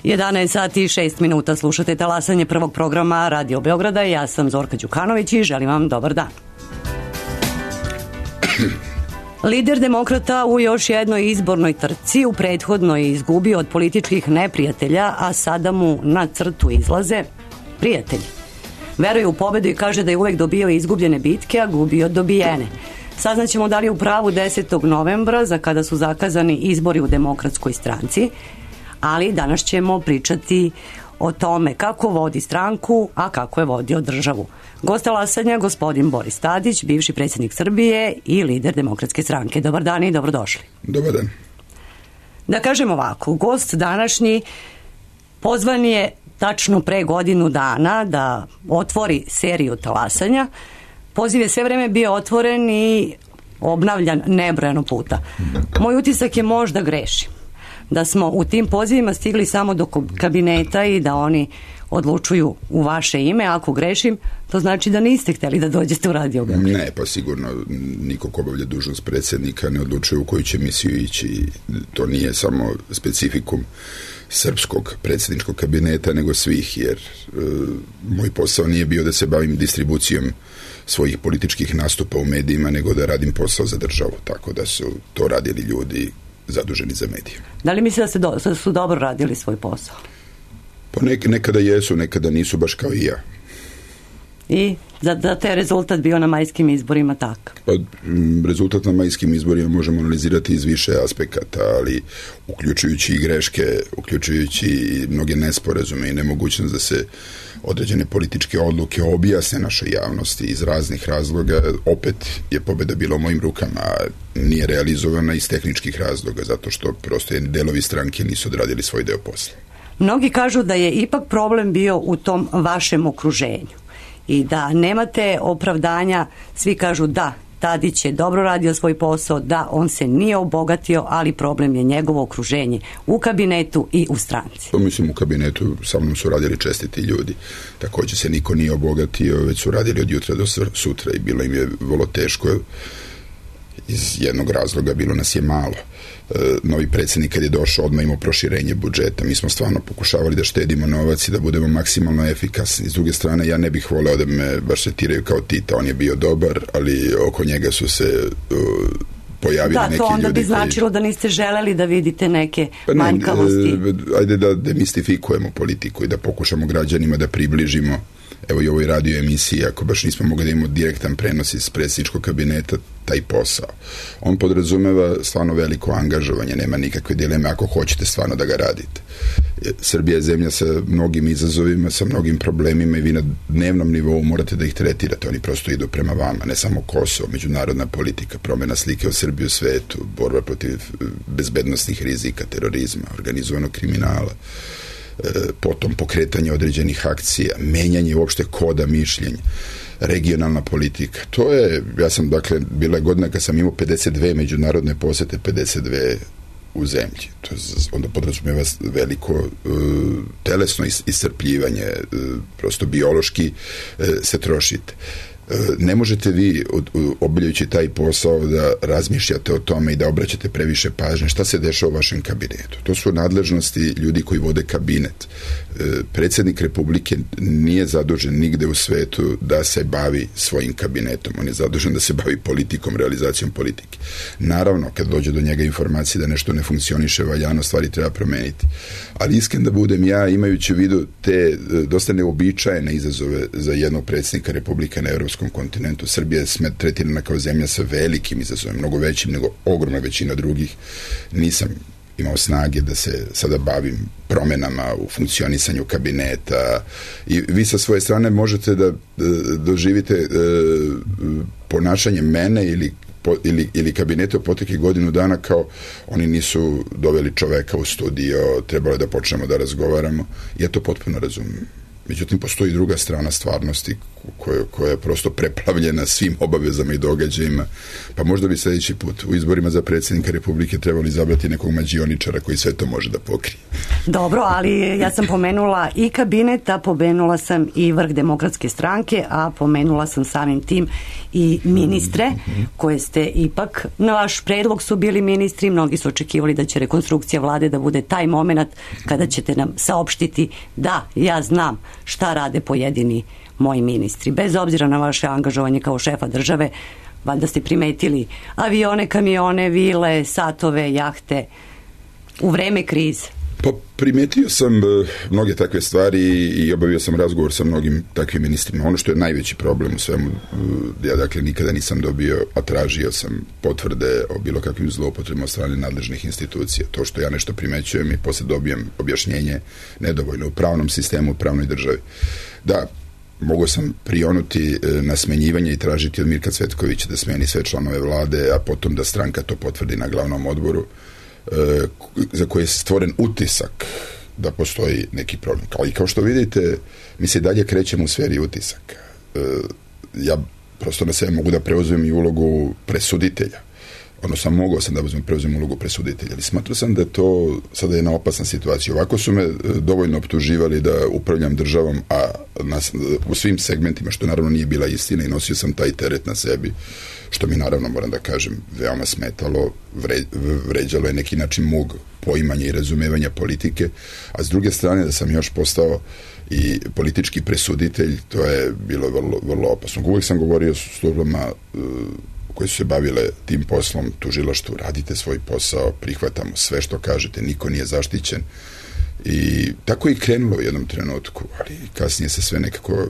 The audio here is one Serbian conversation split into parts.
11 sati i 6 minuta slušate talasanje prvog programa Radio Beograda. Ja sam Zorka Đukanović i želim vam dobar dan. Lider demokrata u još jednoj izbornoj trci u prethodnoj je izgubio od političkih neprijatelja, a sada mu na crtu izlaze prijatelji. Veruje u pobedu i kaže da je uvek dobio izgubljene bitke, a gubio dobijene. Saznaćemo da li je u pravu 10. novembra, za kada su zakazani izbori u Demokratskoj stranci, ali danas ćemo pričati o tome kako vodi stranku, a kako je vodio državu. Gost talasanja, gospodin Boris Tadić, bivši predsjednik Srbije i lider Demokratske stranke. Dobar dan i dobrodošli. Dobar dan. Da kažem ovako, gost današnji pozvan je tačno pre godinu dana da otvori seriju talasanja. Poziv je sve vreme bio otvoren i obnavljan nebrojano puta. Moj utisak je možda grešim, da smo u tim pozivima stigli samo do kabineta i da oni odlučuju u vaše ime. Ako grešim, to znači da niste hteli da dođete u Radio Beograd. Ne, pa sigurno niko ko obavlja dužnost predsjednika ne odlučuje u koju će misiju ići. To nije samo specifikum srpskog predsjedničkog kabineta, nego svih, jer moj posao nije bio da se bavim distribucijom svojih političkih nastupa u medijima, nego da radim posao za državu, tako da su to radili ljudi zaduženi za medije. Da li mislite da su dobro radili svoj posao? Pa nekada jesu, nekada nisu, baš kao i ja. I da te rezultat bio na majskim izborima takav? Pa, rezultat na majskim izborima možemo analizirati iz više aspekata, ali uključujući i greške, uključujući i mnoge nesporazume i nemogućnost da se određene političke odluke objasne našoj javnosti iz raznih razloga, opet je pobeda bila u mojim rukama, a nije realizovana iz tehničkih razloga, zato što prosto delovi stranke nisu odradili svoj deo posla. Mnogi kažu da je ipak problem bio u tom vašem okruženju i da nemate opravdanja. Svi kažu da, Tadić je dobro radio svoj posao, da, on se nije obogatio, ali problem je njegovo okruženje u kabinetu i u stranci. Mislim, u kabinetu sa mnom su radili čestiti ljudi. Također se niko nije obogatio, već su radili od jutra do sutra i bilo im je vrlo teško. Iz jednog razloga, bilo nas je malo. Novi predsjednik kad je došao odmah imao proširenje budžeta. Mi smo stvarno pokušavali da štedimo novac i da budemo maksimalno efikasni. S druge strane, ja ne bih voleo da me baš tretiraju kao Tita. On je bio dobar, ali oko njega su se pojavili neki ljudi. Da, to onda bi značilo da niste želeli da vidite neke manjkavosti. Ajde da demistifikujemo politiku i da pokušamo građanima da približimo. Evo i ovoj radio emisiji, ako baš nismo mogli da imamo direktan prenos iz predsjedničkog kabineta, taj posao. On podrazumeva stvarno veliko angažovanje, nema nikakve dileme ako hoćete stvarno da ga radite. Srbija je zemlja sa mnogim izazovima, sa mnogim problemima i vi na dnevnom nivou morate da ih tretirate. Oni prosto idu prema vama, ne samo Kosovo, međunarodna politika, promjena slike o Srbiji u svetu, borba protiv bezbednosnih rizika, terorizma, organizovanog kriminala, potom pokretanje određenih akcija, menjanje uopšte koda mišljenja, regionalna politika. To je, ja sam, dakle, bila je godina kad sam imao 52 međunarodne posete, 52 u zemlji. To onda podrazumijeva veliko telesno iscrpljivanje, prosto biološki se trošite. Ne možete vi, obavljajući taj posao, da razmišljate o tome i da obraćate previše pažnje šta se dešava u vašem kabinetu. To su nadležnosti ljudi koji vode kabinet. Predsjednik Republike nije zadužen nigde u svetu da se bavi svojim kabinetom. On je zadužen da se bavi politikom, realizacijom politike. Naravno, kad dođe do njega informacije da nešto ne funkcioniše valjano, stvari treba promeniti. Ali iskren da budem ja, imajući u vidu te dosta neobičajene izazove za jednog predsjednika Republike na europskom kontinentu. Srbija je tretirana kao zemlja sa velikim izazovima, mnogo većim nego ogromna većina drugih. Nisam imao snage da se sada bavim promenama u funkcionisanju kabineta i vi sa svoje strane možete da doživite ponašanje mene ili kabinete u proteklih godinu dana kao oni nisu doveli čoveka u studio, trebalo je da počnemo da razgovaramo. Ja to potpuno razumijem. Međutim, postoji druga strana stvarnosti koja je prosto preplavljena svim obavezama i događajima. Pa možda bi sljedeći put u izborima za predsjednika Republike trebali izabrati nekog mađioničara koji sve to može da pokrije. Dobro, ali ja sam pomenula i kabinet, a pomenula sam i vrh Demokratske stranke, a pomenula sam samim tim i ministre koje ste ipak, na vaš predlog su bili ministri, mnogi su očekivali da će rekonstrukcija vlade da bude taj moment kada ćete nam saopštiti da, ja znam šta rade pojedini moji ministri. Bez obzira na vaše angažovanje kao šefa države, valjda ste primetili avione, kamione, vile, satove, jahte u vreme krize. Pa primetio sam mnoge takve stvari i obavio sam razgovor sa mnogim takvim ministrima. Ono što je najveći problem u svemu, ja dakle nikada nisam dobio, a tražio sam potvrde o bilo kakvim zloupotrebama od strane nadležnih institucija. To što ja nešto primećujem i posle dobijem objašnjenje nedovoljno u pravnom sistemu, u pravnoj državi. Da, mogao sam prionuti na smenjivanje i tražiti od Mirka Cvetkovića da smeni sve članove vlade, a potom da stranka to potvrdi na glavnom odboru, za koje je stvoren utisak da postoji neki problem. Kao što vidite, mi se dalje krećemo u sferi utisaka. Ja prosto na sebe mogu da preuzmem i ulogu presuditelja. Odnosno, mogao sam da preuzmem ulogu presuditelja, ali smatrao sam da je to sada jedna opasna situacija. Ovako su me dovoljno optuživali da upravljam državom, a u svim segmentima, što naravno nije bila istina, i nosio sam taj teret na sebi, što mi naravno, moram da kažem, veoma smetalo, vređalo je neki način mog poimanja i razumevanja politike, a s druge strane da sam još postao i politički presuditelj, to je bilo vrlo, vrlo opasno. Uvijek sam govorio s službama koje su se bavile tim poslom, tužilaštvu, radite svoj posao, prihvatamo sve što kažete, niko nije zaštićen. I tako je i krenulo u jednom trenutku, ali kasnije se sve nekako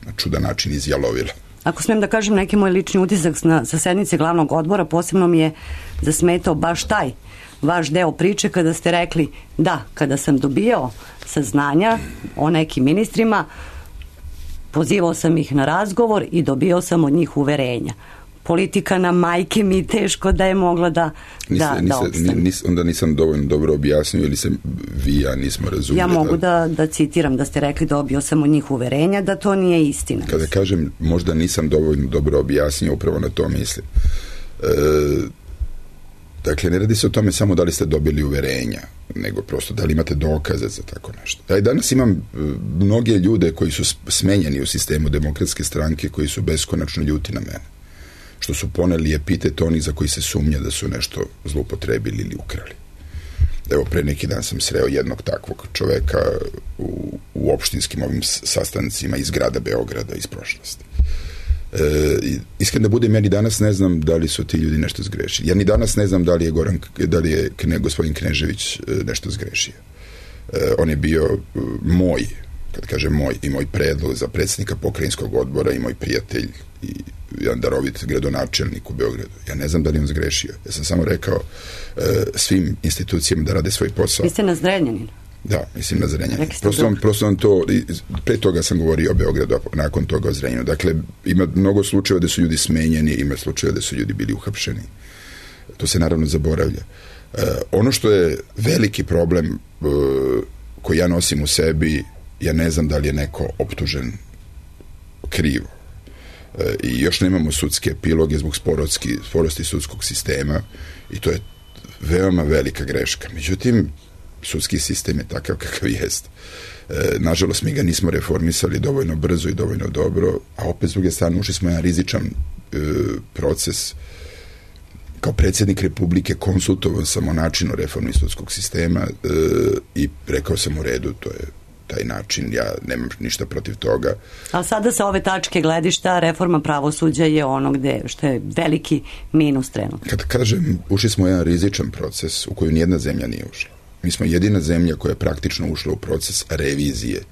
na čudan način izjalovilo. Ako smijem da kažem neki moj lični utisak sa sednice glavnog odbora, posebno mi je zasmetao baš taj vaš deo priče kada ste rekli da, kada sam dobio saznanja o nekim ministrima, pozivao sam ih na razgovor i dobio sam od njih uverenja. Politika na majke mi teško da je mogla da opstane. Onda nisam dovoljno dobro objasnio ili se vi i ja nismo razumeli. Ja mogu da citiram da ste rekli dobio sam od njih uverenja da to nije istina. Kada kažem možda nisam dovoljno dobro objasnio, upravo na to mislim. Dakle, ne radi se o tome samo da li ste dobili uverenja, nego prosto da li imate dokaze za tako nešto. Ja i danas imam mnoge ljude koji su smenjeni u sistemu Demokratske stranke, koji su beskonačno ljuti na mene. Što su poneli epitet onih za koji se sumnja da su nešto zloupotrebili ili ukrali. Evo, pre neki dan sam sreo jednog takvog čoveka u opštinskim ovim sastancima iz grada Beograda, iz prošlosti. Iskreno da budem, ja ni danas ne znam da li su ti ljudi nešto zgrešili. Ja ni danas ne znam da li je gospodin Knežević nešto zgrešio. On je bio moj, kad kažem moj, i moj predlog za predsjednika pokrajinskog odbora i moj prijatelj i jedan darovit gradonačelnik u Beogradu. Ja ne znam da li on zgrešio. Ja sam samo rekao svim institucijama da rade svoj posao. Vi ste na Zrenjaninu? Da, mislim na Zrenjaninu. Prosto to, pre toga sam govorio o Beogradu, a nakon toga o Zrenjaninu. Dakle, ima mnogo slučajeva da su ljudi smenjeni, ima slučajeva da su ljudi bili uhapšeni. To se naravno zaboravlja. Ono što je veliki problem koji ja nosim u sebi, ja ne znam da li je neko optužen krivo. I još nemamo sudske epiloge zbog sporosti sudskog sistema i to je veoma velika greška. Međutim, sudski sistem je takav kakav jest. Nažalost, mi ga nismo reformisali dovoljno brzo i dovoljno dobro, a opet s druge strane ušli smo jedan rizičan proces. Kao predsjednik Republike konsultovao sam o načinu reformi sudskog sistema i rekao sam u redu, to je taj način, ja nemam ništa protiv toga. Ali sada sa ove tačke gledišta reforma pravosuđa je ono što je veliki minus trenutno. Kad kažem, ušli smo u jedan rizičan proces u koju nijedna zemlja nije ušla. Mi smo jedina zemlja koja je praktično ušla u proces revizije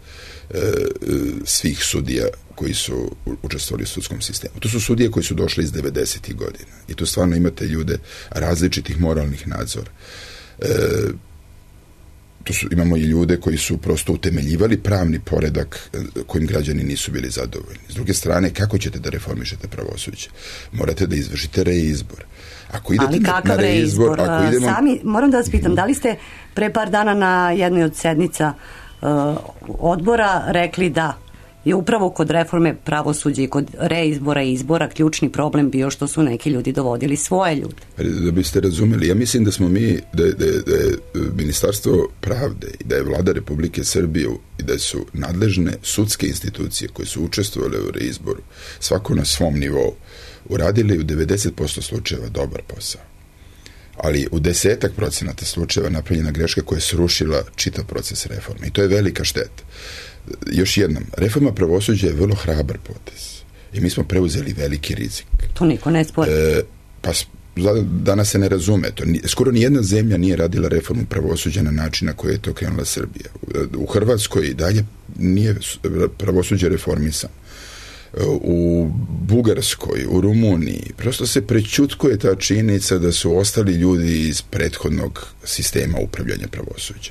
svih sudija koji su učestvovali u sudskom sistemu. To su sudije koji su došli iz 90. godina. I tu stvarno imate ljude različitih moralnih nadzora. Imamo i ljude koji su prosto utemeljivali pravni poredak kojim građani nisu bili zadovoljni. S druge strane, kako ćete da reformišete pravosuđe? Morate da izvršite reizbor. Ali kakav reizbor? Sami, moram da vas pitam, da li ste pre par dana na jednoj od sednica odbora rekli da je upravo kod reforme pravosuđa i kod reizbora i izbora ključni problem bio što su neki ljudi dovodili svoje ljude. Da biste razumeli, ja mislim da smo mi, da je Ministarstvo pravde i da je Vlada Republike Srbije i da su nadležne sudske institucije koje su učestvovale u reizboru, svako na svom nivou, uradili u 90% slučajeva dobar posao. Ali u 10% slučajeva napravljena greška koja je srušila čitav proces reforme. I to je velika šteta. Još jednom, reforma pravosuđa je vrlo hrabar potez. I mi smo preuzeli veliki rizik. To niko ne spori. Pa danas se ne razume. Skoro nijedna zemlja nije radila reformu pravosuđa na način na koji je to krenula Srbija. U Hrvatskoj dalje nije pravosuđe reformisan. U Bugarskoj, u Rumuniji, prosto se prećutkuje ta činjenica da su ostali ljudi iz prethodnog sistema upravljanja pravosuđa.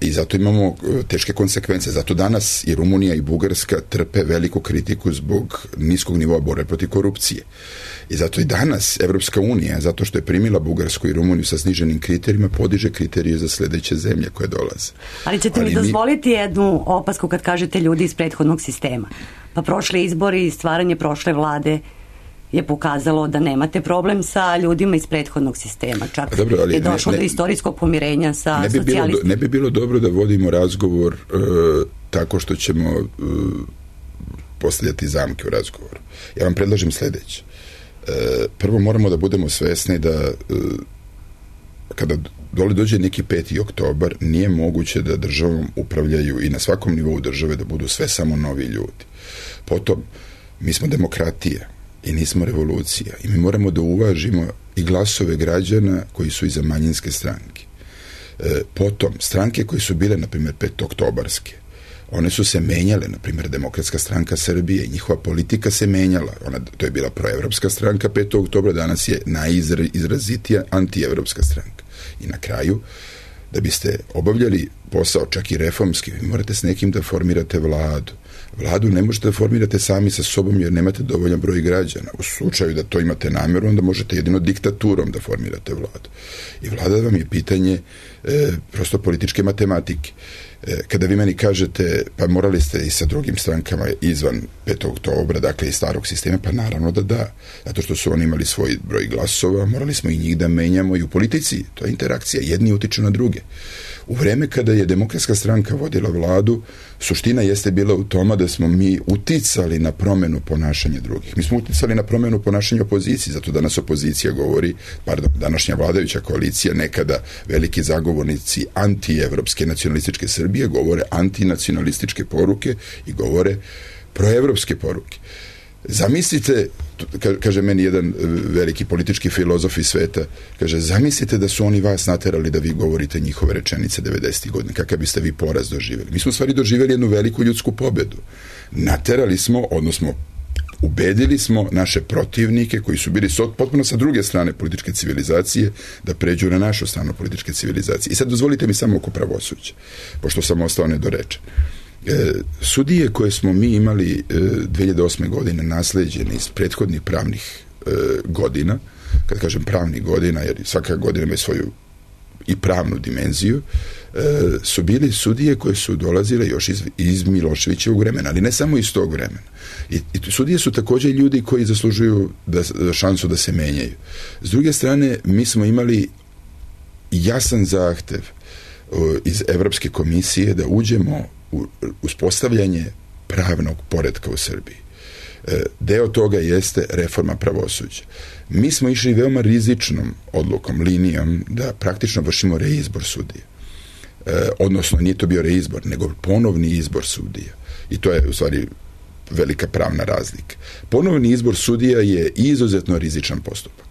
I zato imamo teške konsekvence. Zato danas i Rumunija i Bugarska trpe veliku kritiku zbog niskog nivoa borbe protiv korupcije. I zato i danas Evropska unija, zato što je primila Bugarsku i Rumuniju sa sniženim kriterijima, podiže kriterije za sledeće zemlje koje dolaze. Ali ćete mi dozvoliti jednu opasku kad kažete ljudi iz prethodnog sistema. Pa prošli izbori i stvaranje prošle vlade je pokazalo da nemate problem sa ljudima iz prethodnog sistema. Čak je došlo do istorijskog pomirenja sa socijalistima. Ne bi bilo dobro da vodimo razgovor tako što ćemo postavljati zamke u razgovoru. Ja vam predlažem sledeće. Prvo moramo da budemo svesni da kada dođe neki 5. oktobar nije moguće da državom upravljaju i na svakom nivou države da budu sve samo novi ljudi. Potom, mi smo demokratija i nismo revolucija i mi moramo da uvažimo i glasove građana koji su iza manjinske stranke. Potom, stranke koje su bile, na primjer, 5. oktobarske, one su se menjale, na primjer, Demokratska stranka Srbije i njihova politika se menjala. To je bila proevropska stranka 5. oktobra, danas je najizrazitija antievropska stranka. I na kraju, da biste obavljali posao čak i reformski, vi morate s nekim da formirate vladu. Vladu ne možete da formirate sami sa sobom jer nemate dovoljan broj građana. U slučaju da to imate namjeru, onda možete jedino diktaturom da formirate vladu. I vlada vam je pitanje prosto političke matematike. Kada vi meni kažete, pa morali ste i sa drugim strankama izvan 5. oktobra, dakle iz starog sistema, pa naravno da. Zato što su oni imali svoj broj glasova, morali smo i njih da menjamo i u politici. To je interakcija, jedni utiču na druge. U vreme kada je Demokratska stranka vodila vladu, suština jeste bila u tome da smo mi uticali na promenu ponašanja drugih. Mi smo uticali na promenu ponašanja opozicije, zato danas opozicija govori, današnja vladajuća koalicija, nekada veliki zagovornici antievropske nacionalističke Srbije, govore antinacionalističke poruke i govore proevropske poruke. Zamislite, kaže meni jedan veliki politički filozof iz sveta, kaže, zamislite da su oni vas naterali da vi govorite njihove rečenice 90. godina, kakav biste vi poraz doživjeli. Mi smo u stvari doživjeli jednu veliku ljudsku pobedu. Naterali smo, odnosno ubedili smo naše protivnike koji su bili potpuno sa druge strane političke civilizacije da pređu na našu stranu političke civilizacije. I sad dozvolite mi samo oko pravosuđa, pošto sam ostao nedorečen. Sudije koje smo mi imali 2008. godine nasleđene iz prethodnih pravnih godina, kad kažem pravnih godina, jer svaka godina ima svoju i pravnu dimenziju, su bili sudije koje su dolazile još iz Miloševićevog vremena, ali ne samo iz tog vremena. I sudije su također ljudi koji zaslužuju šansu da se menjaju. S druge strane, mi smo imali jasan zahtev iz Evropske komisije da uđemo u uspostavljanje pravnog poretka u Srbiji. Deo toga jeste reforma pravosuđa. Mi smo išli veoma rizičnom odlukom, linijom, da praktično vršimo reizbor sudija. Odnosno, nije to bio reizbor, nego ponovni izbor sudija. I to je, u stvari, velika pravna razlika. Ponovni izbor sudija je izuzetno rizičan postupak.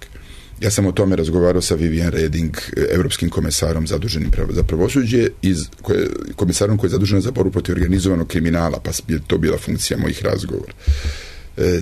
Ja sam o tome razgovarao sa Vivian Reding, evropskim komesarom zaduženim za pravosuđe, komisarom koji je zadužen za borbu protiv organizovanog kriminala, pa je to bila funkcija mojih razgovora.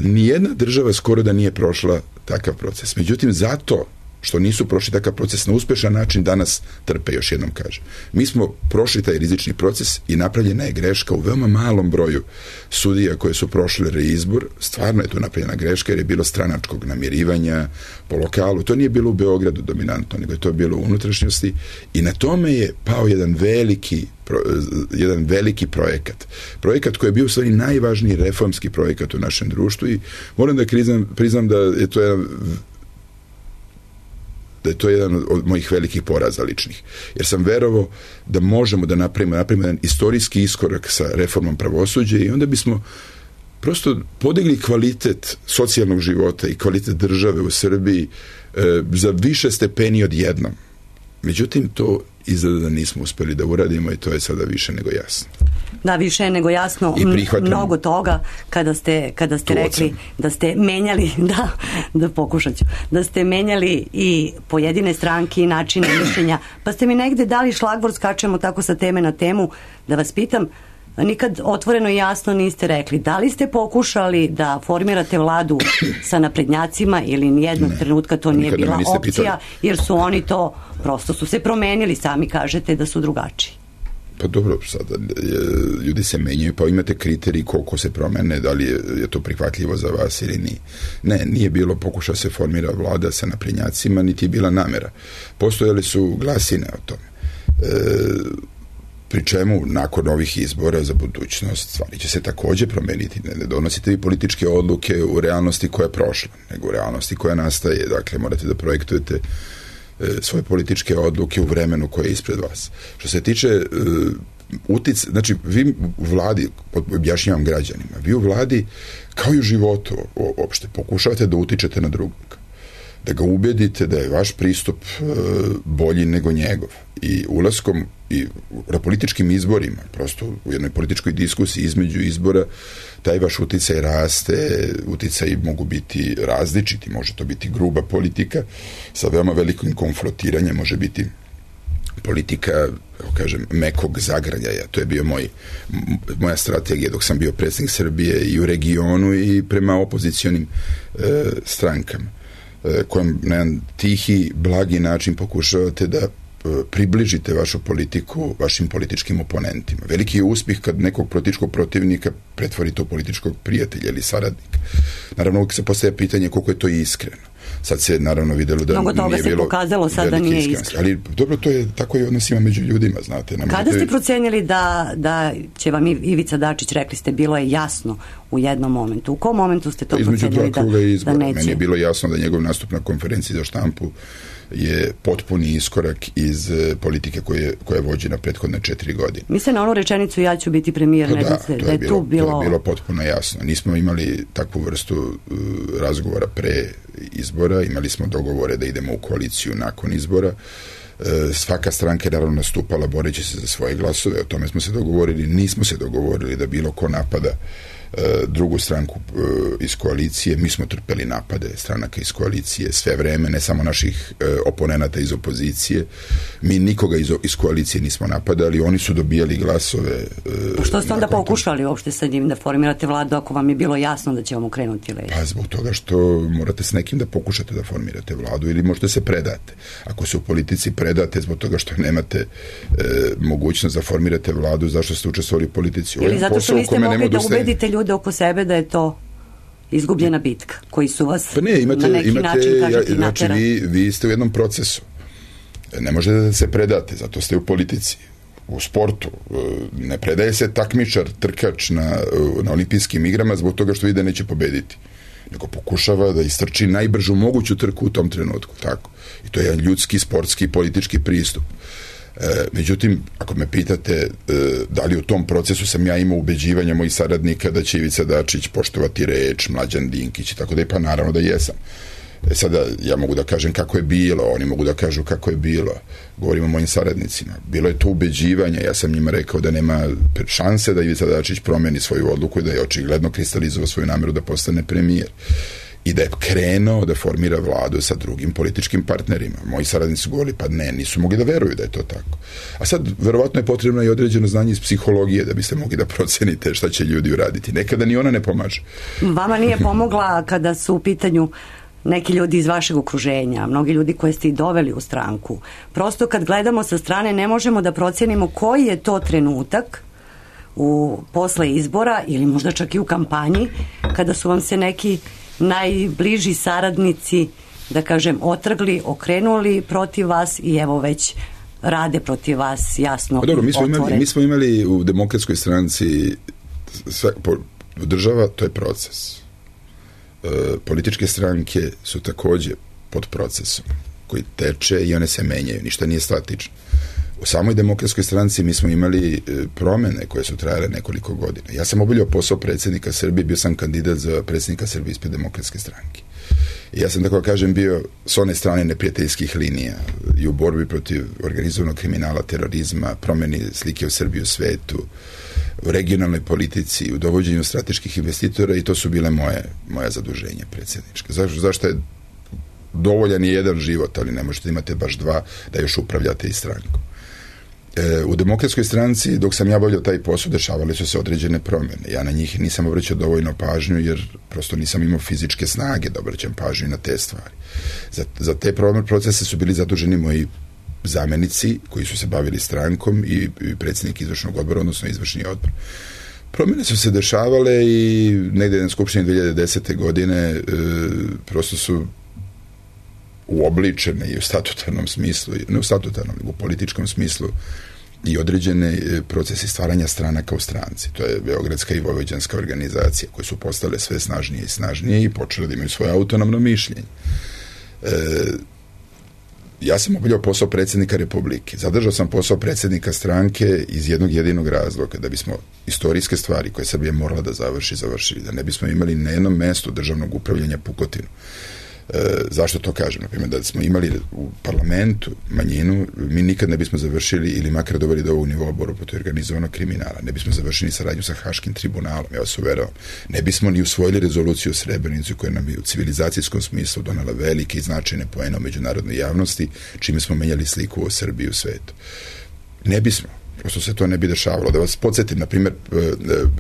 Nijedna država skoro da nije prošla takav proces. Međutim, zato što nisu prošli takav proces na uspešan način, danas trpe, još jednom kažem. Mi smo prošli taj rizični proces i napravljena je greška u veoma malom broju sudija koje su prošle reizbor. Stvarno je to napravljena greška jer je bilo stranačkog namirivanja po lokalu. To nije bilo u Beogradu dominantno, nego je to bilo u unutrašnjosti i na tome je pao jedan veliki projekat. Projekat koji je bio u stvari najvažniji reformski projekat u našem društvu i moram da priznam da je to jedan od mojih velikih poraza ličnih. Jer sam verovao da možemo da napravimo jedan istorijski iskorak sa reformom pravosuđa i onda bismo prosto podigli kvalitet socijalnog života i kvalitet države u Srbiji za više stepeni odjednom. Međutim, to izgleda da nismo uspeli da uradimo i to je sada više nego jasno. Da, više je nego jasno. Mnogo toga kada ste rekli da ste menjali, da pokušat ću, da ste menjali i pojedine stranke i načine mišljenja, pa ste mi negde dali šlagvort, skačemo tako sa teme na temu, da vas pitam, nikad otvoreno i jasno niste rekli, da li ste pokušali da formirate vladu sa naprednjacima ili nijednog trenutka to nije bila opcija, jer su oni to, prosto su se promenili, sami kažete da su drugačiji. Pa dobro, sada ljudi se menjaju, pa imate kriterij koliko se promene, da li je to prihvatljivo za vas ili nije. Ne, nije bilo pokušao se formira vlada sa naprednjacima, niti je bila namera. Postojali su glasine o tome. Pri čemu, nakon ovih izbora za budućnost, stvari će se takođe promeniti. Ne donosite vi političke odluke u realnosti koja je prošla, nego u realnosti koja nastaje. Dakle, morate da projektujete svoje političke odluke u vremenu koje je ispred vas. Što se tiče znači, vi u vladi, objašnjavam građanima, vi u vladi, kao i u životu uopšte, pokušavate da utičete na drugog, da ga ubedite da je vaš pristup bolji nego njegov. I ulaskom i na političkim izborima, prosto u jednoj političkoj diskusiji između izbora, taj vaš uticaj raste, uticaji mogu biti različiti, može to biti gruba politika sa veoma velikim konfrontiranjem, može biti politika, kažem, mekog zagrljaja. To je bio moja strategija dok sam bio predsjednik Srbije i u regionu i prema opozicionim strankama, kojem na jedan tihi, blagi način pokušavate da približite vašu politiku vašim političkim oponentima. Veliki je uspjeh kad nekog političkog protivnika pretvorite u političkog prijatelja ili saradnika. Naravno, uvijek se postavlja pitanje koliko je to iskreno. Sad se naravno vidjelo da mnogo toga se pokazalo sad da nije iskreno. Ali dobro, to je tako i odnosima među ljudima, znate. Kada ste procenjeli da će vam Ivica Dačić, rekli ste, bilo je jasno u jednom momentu. U kom momentu ste to procenjeli da neće? Između 2 kruga izbora. Meni je bilo jasno da njegov nastup na konferenciji za štampu je potpuni iskorak iz politike koja je vođena prethodne 4 godine. Mislim na onu rečenicu ja ću biti premijer, to je bilo potpuno jasno. Nismo imali takvu vrstu razgovora pre izbora, imali smo dogovore da idemo u koaliciju nakon izbora. Svaka stranka je naravno nastupala boreći se za svoje glasove, o tome smo se dogovorili, nismo se dogovorili da bilo ko napada drugu stranku iz koalicije. Mi smo trpeli napade stranaka iz koalicije sve vreme, ne samo naših oponenata iz opozicije. Mi nikoga iz koalicije nismo napadali, oni su dobijali glasove. Što ste onda pokušali uopšte sa njim da formirate vladu ako vam je bilo jasno da će vam okrenuti leđa? Pa zbog toga što morate s nekim da pokušate da formirate vladu ili možete se predate. Ako se u politici predate zbog toga što nemate mogućnost da formirate vladu, zašto ste učestvovali u politici? Ili zato što niste mogli da ubedite ljude oko sebe da je to izgubljena bitka, koji su vas na neki način, kažete, znači vi ste u jednom procesu. Ne možete da se predate, zato ste u politici. U sportu ne predaje se takmičar, trkač na olimpijskim igrama zbog toga što vidi da neće pobediti, nego pokušava da istrči najbržu moguću trku u tom trenutku, tako. I to je jedan ljudski, sportski, politički pristup. Međutim, ako me pitate da li u tom procesu sam ja imao ubeđivanja mojih saradnika da će Ivica Dačić poštovati reč, Mlađan Dinkić i tako da je, pa naravno da jesam. Sada ja mogu da kažem kako je bilo, oni mogu da kažu kako je bilo. Govorim o mojim saradnicima. Bilo je to ubeđivanje, ja sam njima rekao da nema šanse da Ivica Dačić promeni svoju odluku i da je očigledno kristalizovao svoju nameru da postane premijer. I da je krenuo da formira vladu sa drugim političkim partnerima. Moji saradnici su govorili, pa ne, nisu mogli da veruju da je to tako. A sad, verovatno je potrebno i određeno znanje iz psihologije da biste mogli da procenite šta će ljudi uraditi. Nekada ni ona ne pomaže. Vama nije pomogla kada su u pitanju neki ljudi iz vašeg okruženja, mnogi ljudi koje ste i doveli u stranku. Prosto kad gledamo sa strane ne možemo da procenimo koji je to trenutak posle izbora ili možda čak i u kampanji kada su vam se neki najbliži saradnici, da kažem, otrgli, okrenuli protiv vas i evo već rade protiv vas jasno. Dobro, mi smo imali u Demokratskoj stranci država, to je proces. Političke stranke su takođe pod procesom koji teče i one se menjaju, ništa nije statično. U samoj Demokratskoj stranci mi smo imali promene koje su trajale nekoliko godina. Ja sam obavljao posao predsjednika Srbije, bio sam kandidat za predsjednika Srbije ispred Demokratske stranke. I ja sam, tako kažem, bio s one strane neprijateljskih linija i u borbi protiv organizovanog kriminala, terorizma, promeni slike o Srbiji u svetu, u regionalnoj politici, u dovođenju strateških investitora i to su bile moja zaduženja predsjednička. Zašto je dovoljan je jedan život, ali ne možete imate baš dva da još upravljate i strankom. U Demokratskoj stranci, dok sam ja obavljao taj posao, dešavale su se određene promjene. Ja na njih nisam obraćao dovoljno pažnju, jer prosto nisam imao fizičke snage da obraćam pažnju na te stvari. Za te procese su bili zaduženi moji zamenici koji su se bavili strankom i predsjednik izvršnog odbora, odnosno izvršni odbor. Promjene su se dešavale i negdje na Skupštini 2010. godine prosto su uobličene i u statutarnom smislu, ne u statutarnom, nego u političkom smislu i određene procesi stvaranja stranaka u stranci. To je Beogradska i Vojvođanska organizacija koje su postale sve snažnije i snažnije i počele da imaju svoje autonomno mišljenje. Ja sam obavljao posao predsjednika Republike. Zadržao sam posao predsjednika stranke iz jednog jedinog razloga, da bismo istorijske stvari koje Srbija morala da završili, da ne bismo imali na jednom mestu državnog upravljanja pukotinu. Zašto to kažem? Naprimjer, da smo imali u parlamentu manjinu, mi nikad ne bismo završili ili makar doveli do ovog nivoa borbu protiv organizovanog kriminala. Ne bismo završili saradnju sa Haškim tribunalom, ja vas uveravam. Ne bismo ni usvojili rezoluciju o Srebrenici koja nam je u civilizacijskom smislu donala velike i značajne poene u međunarodnoj javnosti, čime smo menjali sliku o Srbiji u svetu. Ne bismo. Prosto se to ne bi dešavalo. Da vas podsjetim, na primjer,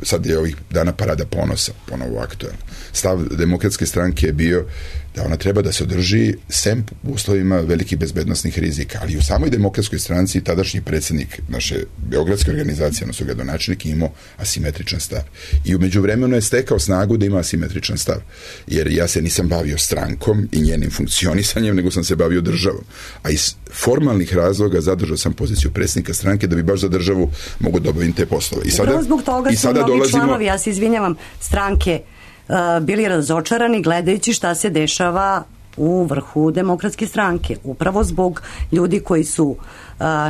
sad je ovih dana Parada ponosa, ponovo aktualno. Stav Demokratske stranke je bio da ona treba da se održi sem u uslovima velikih bezbednosnih rizika, ali u samoj Demokratskoj stranci tadašnji predsjednik naše beogradske organizacije, odnosno gradonačelnik, imao asimetričan stav. I u međuvremenu je stekao snagu da ima asimetričan stav. Jer ja se nisam bavio strankom i njenim funkcionisanjem, nego sam se bavio državom. A iz formalnih razloga zadržao sam poziciju predsjednika stranke da bi baš za državu mogu da obavim te poslove. Upravo zbog toga su mnogi članovi, ja se izvinjavam, stranke bili razočarani gledajući šta se dešava u vrhu Demokratske stranke. Upravo zbog ljudi koji su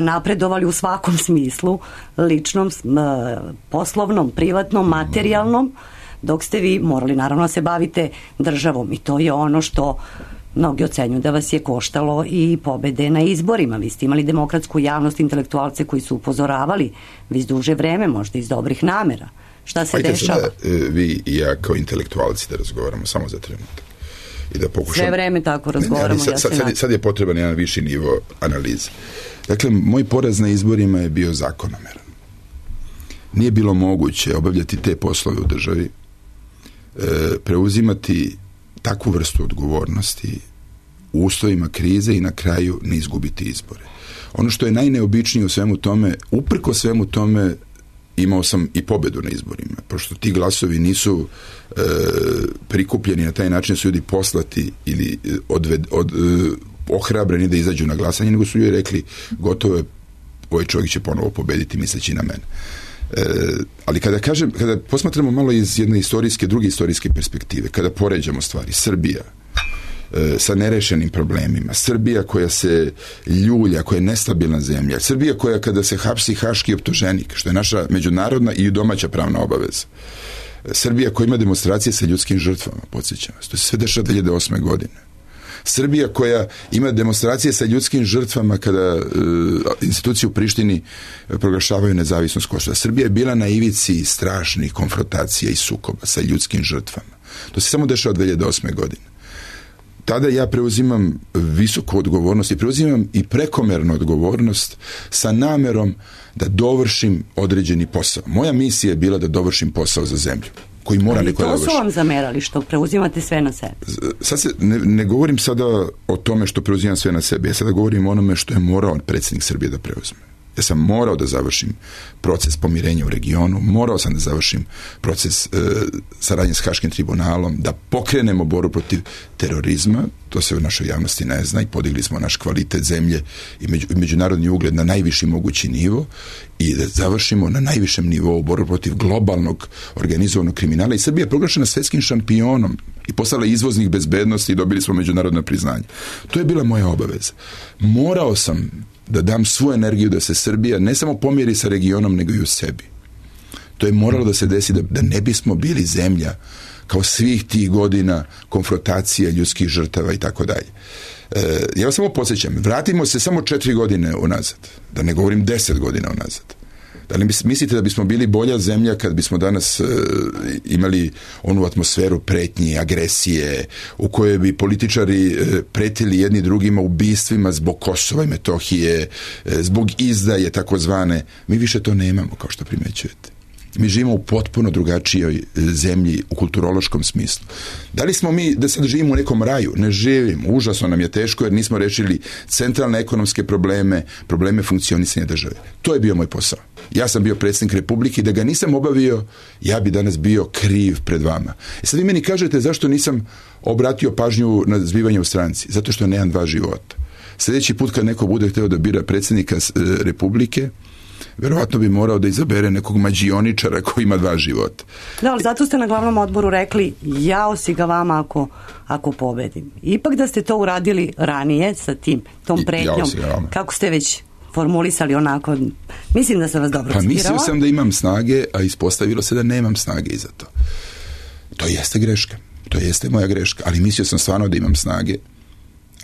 napredovali u svakom smislu, ličnom, poslovnom, privatnom, materijalnom, dok ste vi morali naravno da se bavite državom i to je ono što mnogi ocenjuju da vas je koštalo i pobede na izborima. Vi ste imali demokratsku javnost, intelektualce koji su upozoravali već duže vreme, možda iz dobrih namera. Šta se dešava? Sada, vi i ja kao intelektualci da razgovaramo samo za trenutak. I da pokušamo... Sve vreme tako razgovaramo. Sad je potreban jedan viši nivo analize. Dakle, moj poraz na izborima je bio zakonomeran. Nije bilo moguće obavljati te poslove u državi, preuzimati takvu vrstu odgovornosti u uslovima krize i na kraju ne izgubiti izbore. Ono što je najneobičnije u svemu tome, uprko svemu tome, imao sam i pobedu na izborima, pošto ti glasovi nisu prikupljeni na taj način, su ljudi poslati ili ohrabreni da izađu na glasanje, nego su ljudi rekli gotovo je, ovaj čovjek će ponovo pobediti misleći na mene. Ali kada posmatramo malo iz jedne druge istorijske perspektive, kada poređamo stvari, Srbija sa nerešenim problemima, Srbija koja se ljulja, koja je nestabilna zemlja, Srbija koja kada se hapsi haški optuženik, što je naša međunarodna i domaća pravna obaveza, Srbija koja ima demonstracije sa ljudskim žrtvama, podsjećam vas, to se sve dešava 2008. godine. Srbija koja ima demonstracije sa ljudskim žrtvama kada institucije u Prištini proglašavaju nezavisnost Kosova. Srbija je bila na ivici strašnih konfrontacija i sukoba sa ljudskim žrtvama. To se samo dešava 2008. godine. Tada ja preuzimam visoku odgovornost i preuzimam i prekomernu odgovornost sa namerom da dovršim određeni posao. Moja misija je bila da dovršim posao za zemlju. koji mora neko da završi. završi. To su vam zamerali što preuzimate sve na sebe. Sad ne govorim sada o tome što preuzimam sve na sebe, ja sada govorim o onome što je morao predsjednik Srbije da preuzme. Ja sam morao da završim proces pomirenja u regionu, morao sam da završim proces saradnje s Haškim tribunalom, da pokrenemo borbu protiv terorizma, to se u našoj javnosti ne zna, i podigli smo naš kvalitet zemlje i međunarodni ugled na najviši mogući nivo i da završimo na najvišem nivou borbu protiv globalnog organizovanog kriminala. I Srbija je proglašena svjetskim šampionom i postala izvoznik bezbednosti i dobili smo međunarodno priznanje. To je bila moja obaveza. Morao sam da dam svu energiju da se Srbija ne samo pomiri sa regionom, nego i u sebi. To je moralo da se desi da ne bismo bili zemlja kao svih tih godina konfrontacija, ljudskih žrtava i tako dalje. Ja vas samo podsjećam, vratimo se samo 4 godine unazad, da ne govorim 10 godina unazad. Da li mislite da bismo bili bolja zemlja kad bismo danas imali onu atmosferu pretnji, agresije, u kojoj bi političari pretili jedni drugima ubistvima zbog Kosova i Metohije, zbog izdaje takozvane? Mi više to nemamo, kao što primećujete. Mi živimo u potpuno drugačijoj zemlji u kulturološkom smislu. Da li smo mi da sad živimo u nekom raju? Ne živimo. Užasno nam je teško jer nismo rešili centralne ekonomske probleme funkcionisanja države. To je bio moj posao. Ja sam bio predsjednik Republike i da ga nisam obavio, ja bi danas bio kriv pred vama. I sad vi meni kažete zašto nisam obratio pažnju na zbivanje u stranci? Zato što nemam 2 života. Sljedeći put kad neko bude hteo da bira predsjednika Republike, verovatno bi morao da izabere nekog mađioničara koji ima 2 života. Da, ali zato ste na glavnom odboru rekli jao si ga vama ako pobedim. Ipak da ste to uradili ranije sa tom pretnjom, kako ste već formulisali onako, mislim da sam vas dobro citirala. Pa mislio sam da imam snage, a ispostavilo se da nemam snage i za to. To jeste greška. To jeste moja greška, ali mislio sam stvarno da imam snage,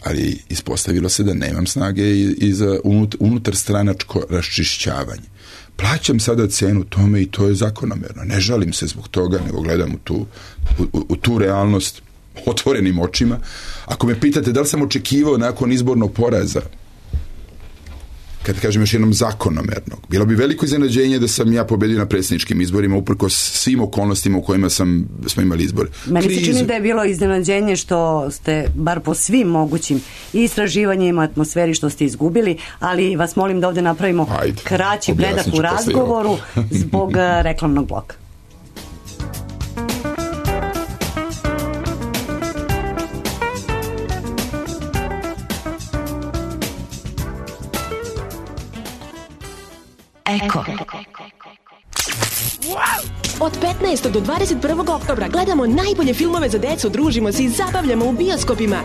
ali ispostavilo se da nemam snage i za unutar stranačko raščišćavanje. Plaćam sada cenu tome i to je zakonomerno. Ne žalim se zbog toga, nego gledam u tu realnost otvorenim očima. Ako me pitate da li sam očekivao nakon izbornog poraza, kad kažem još jednom zakonomernog, bilo bi veliko iznenađenje da sam ja pobedio na predsjedničkim izborima uprkos svim okolnostima u kojima smo imali izbore. Meni se čini da je bilo iznenađenje što ste, bar po svim mogućim istraživanjima, atmosferi što ste izgubili, ali vas molim da ovdje napravimo kraći predak u razgovoru zbog reklamnog bloka. Eko. Od 15. do 21. oktobra gledamo najbolje filmove za decu, družimo se i zabavljamo u bioskopima.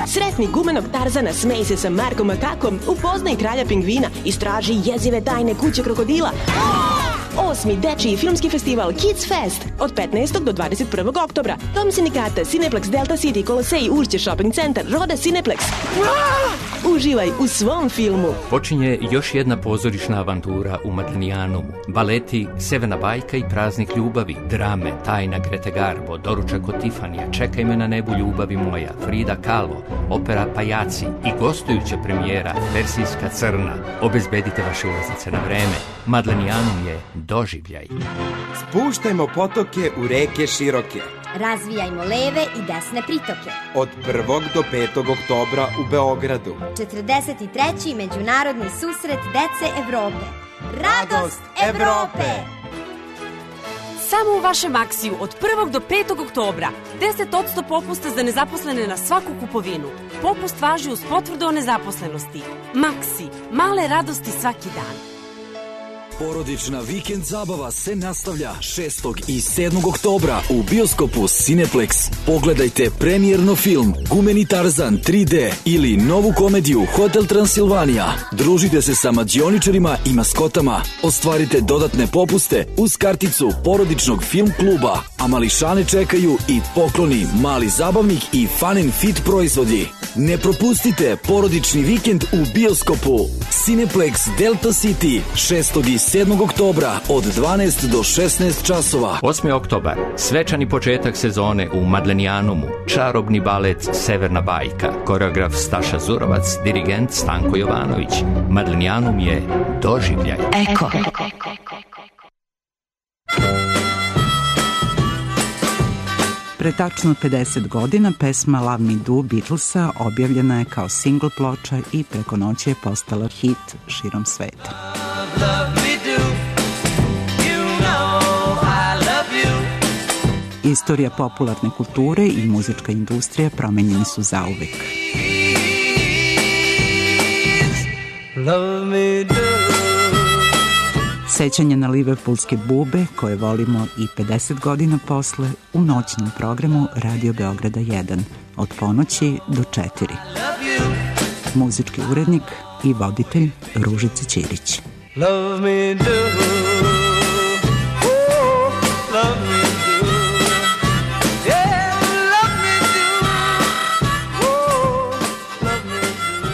Sretni gumenog Tarzana, smej se sa Markom Makakom, upoznaj kralja pingvina, istraži jezive tajne kuće krokodila. 8. dečiji filmski festival Kids Fest od 15. do 21. oktobra. Dom sindikata, Cineplex, Delta City, Kolosej, Ušće Shopping Centar, Roda Cineplex. Uživaj u svom filmu. Počinje još jedna pozorišna avantura u Madlenijanumu. Baleti Severna bajka i Praznik ljubavi, drame Tajna Grete Garbo, Doručak od Tifanija, Čekaj me na nebu ljubavi moja, Frida Kahlo, opera Pajaci i gostujuća premijera Persijska crna. Obezbedite vaše ulaznice na vreme. Madlenijanum je doživljaj. Spuštajmo potoke u reke široke. Razvijajmo leve i desne pritoke. Od 1. do 5. oktobra u Beogradu. 43. međunarodni susret dece Evrope. Radost Evrope! Samo u vašem Maksiju od 1. do 5. oktobra 10% popusta za nezaposlene na svaku kupovinu. Popust važi uz potvrdu o nezaposlenosti. Maksi, male radosti svaki dan. Porodična vikend zabava se nastavlja 6. i 7. oktobra u bioskopu Cineplex. Pogledajte premijerno film Gumeni Tarzan 3D ili novu komediju Hotel Transilvanija. Družite se sa mađioničarima i maskotama. Ostvarite dodatne popuste uz karticu porodičnog film kluba. A mališane čekaju i pokloni, mali zabavnik i fun and fit proizvodi. Ne propustite porodični vikend u bioskopu Cineplex Delta City 6. i 7. oktobra od 12 do 16 časova. 8. oktobar, svečani početak sezone u Madlenijanumu, čarobni balet Severna bajka, koreograf Staša Zurovac, dirigent Stanko Jovanović. Madlenijanum je doživljaj. Eko. Pre tačno 50 godina pesma Love Me Do Beatlesa objavljena je kao singl ploča i preko noći je postala hit širom sveta. Istorija popularne kulture i muzička industrija promenjeni su zauvek. Sećanje na liverpoolske bube koje volimo i 50 godina posle u noćnom programu Radio Beograda 1 od ponoći do 4. Muzički urednik i voditelj Ružica Ćirić. Love me do, oh, love me do, yeah, love me do, oh, love me do.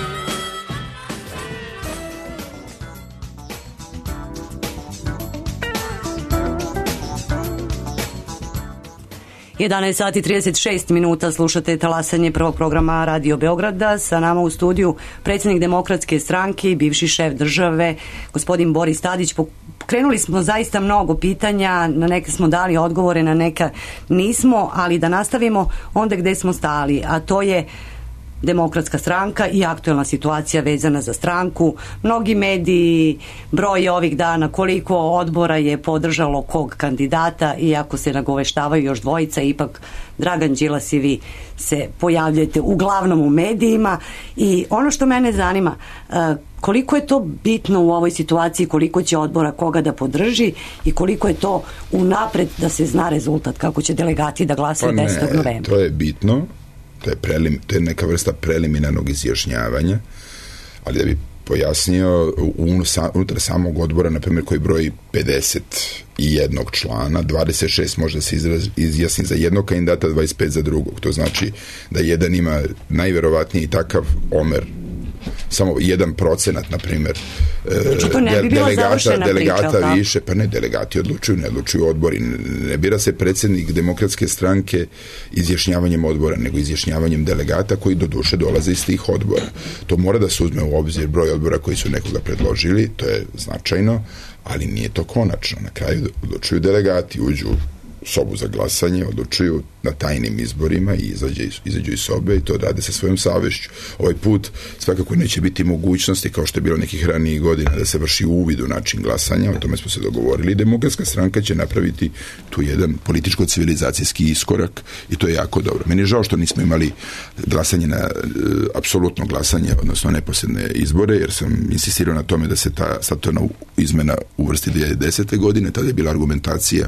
11 sati 36 minuta slušate talasanje prvog programa Radio Beograda. Sa nama u studiju predsjednik Demokratske stranke i bivši šef države, gospodin Boris Tadić. Krenuli smo zaista mnogo pitanja, na neke smo dali odgovore, na neka nismo, ali da nastavimo onda gde smo stali, a to je Demokratska stranka i aktuelna situacija vezana za stranku. Mnogi mediji broje ovih dana koliko odbora je podržalo kog kandidata, iako se nagoveštavaju još dvojica, ipak Dragan Đilas i vi se pojavljujete uglavnom u medijima. I ono što mene zanima, koliko je to bitno u ovoj situaciji, koliko će odbora koga da podrži i koliko je to unapred da se zna rezultat, kako će delegati da glasaju 10. novembra? To je bitno. To je neka vrsta preliminarnog izjašnjavanja, ali da bi pojasnio, unutar samog odbora, na primjer, koji broji 51 člana, 26 može da se izjasni za jednog kandidata, 25 za drugog. To znači da jedan ima najverovatniji takav omer, samo 1%, na primjer, delegata više, pa ne, delegati odlučuju, ne odlučuju odbori, ne bira se predsjednik Demokratske stranke izjašnjavanjem odbora, nego izjašnjavanjem delegata koji doduše dolaze iz tih odbora. To mora da se uzme u obzir broj odbora koji su nekoga predložili, to je značajno, ali nije to konačno. Na kraju odlučuju delegati, uđu u sobu za glasanje, odlučuju na tajnim izborima i izađu iz sobe i to rade sa svojom savješću. Ovaj put svakako neće biti mogućnosti, kao što je bilo nekih ranijih godina, da se vrši uvid u način glasanja, o tome smo se dogovorili. Demokratska stranka će napraviti tu jedan političko-civilizacijski iskorak i to je jako dobro. Meni je žao što nismo imali glasanje na apsolutno glasanje, odnosno neposredne izbore, jer sam insistirao na tome da se ta statutarna izmena uvrsti 2010. godine, tada je bila argumentacija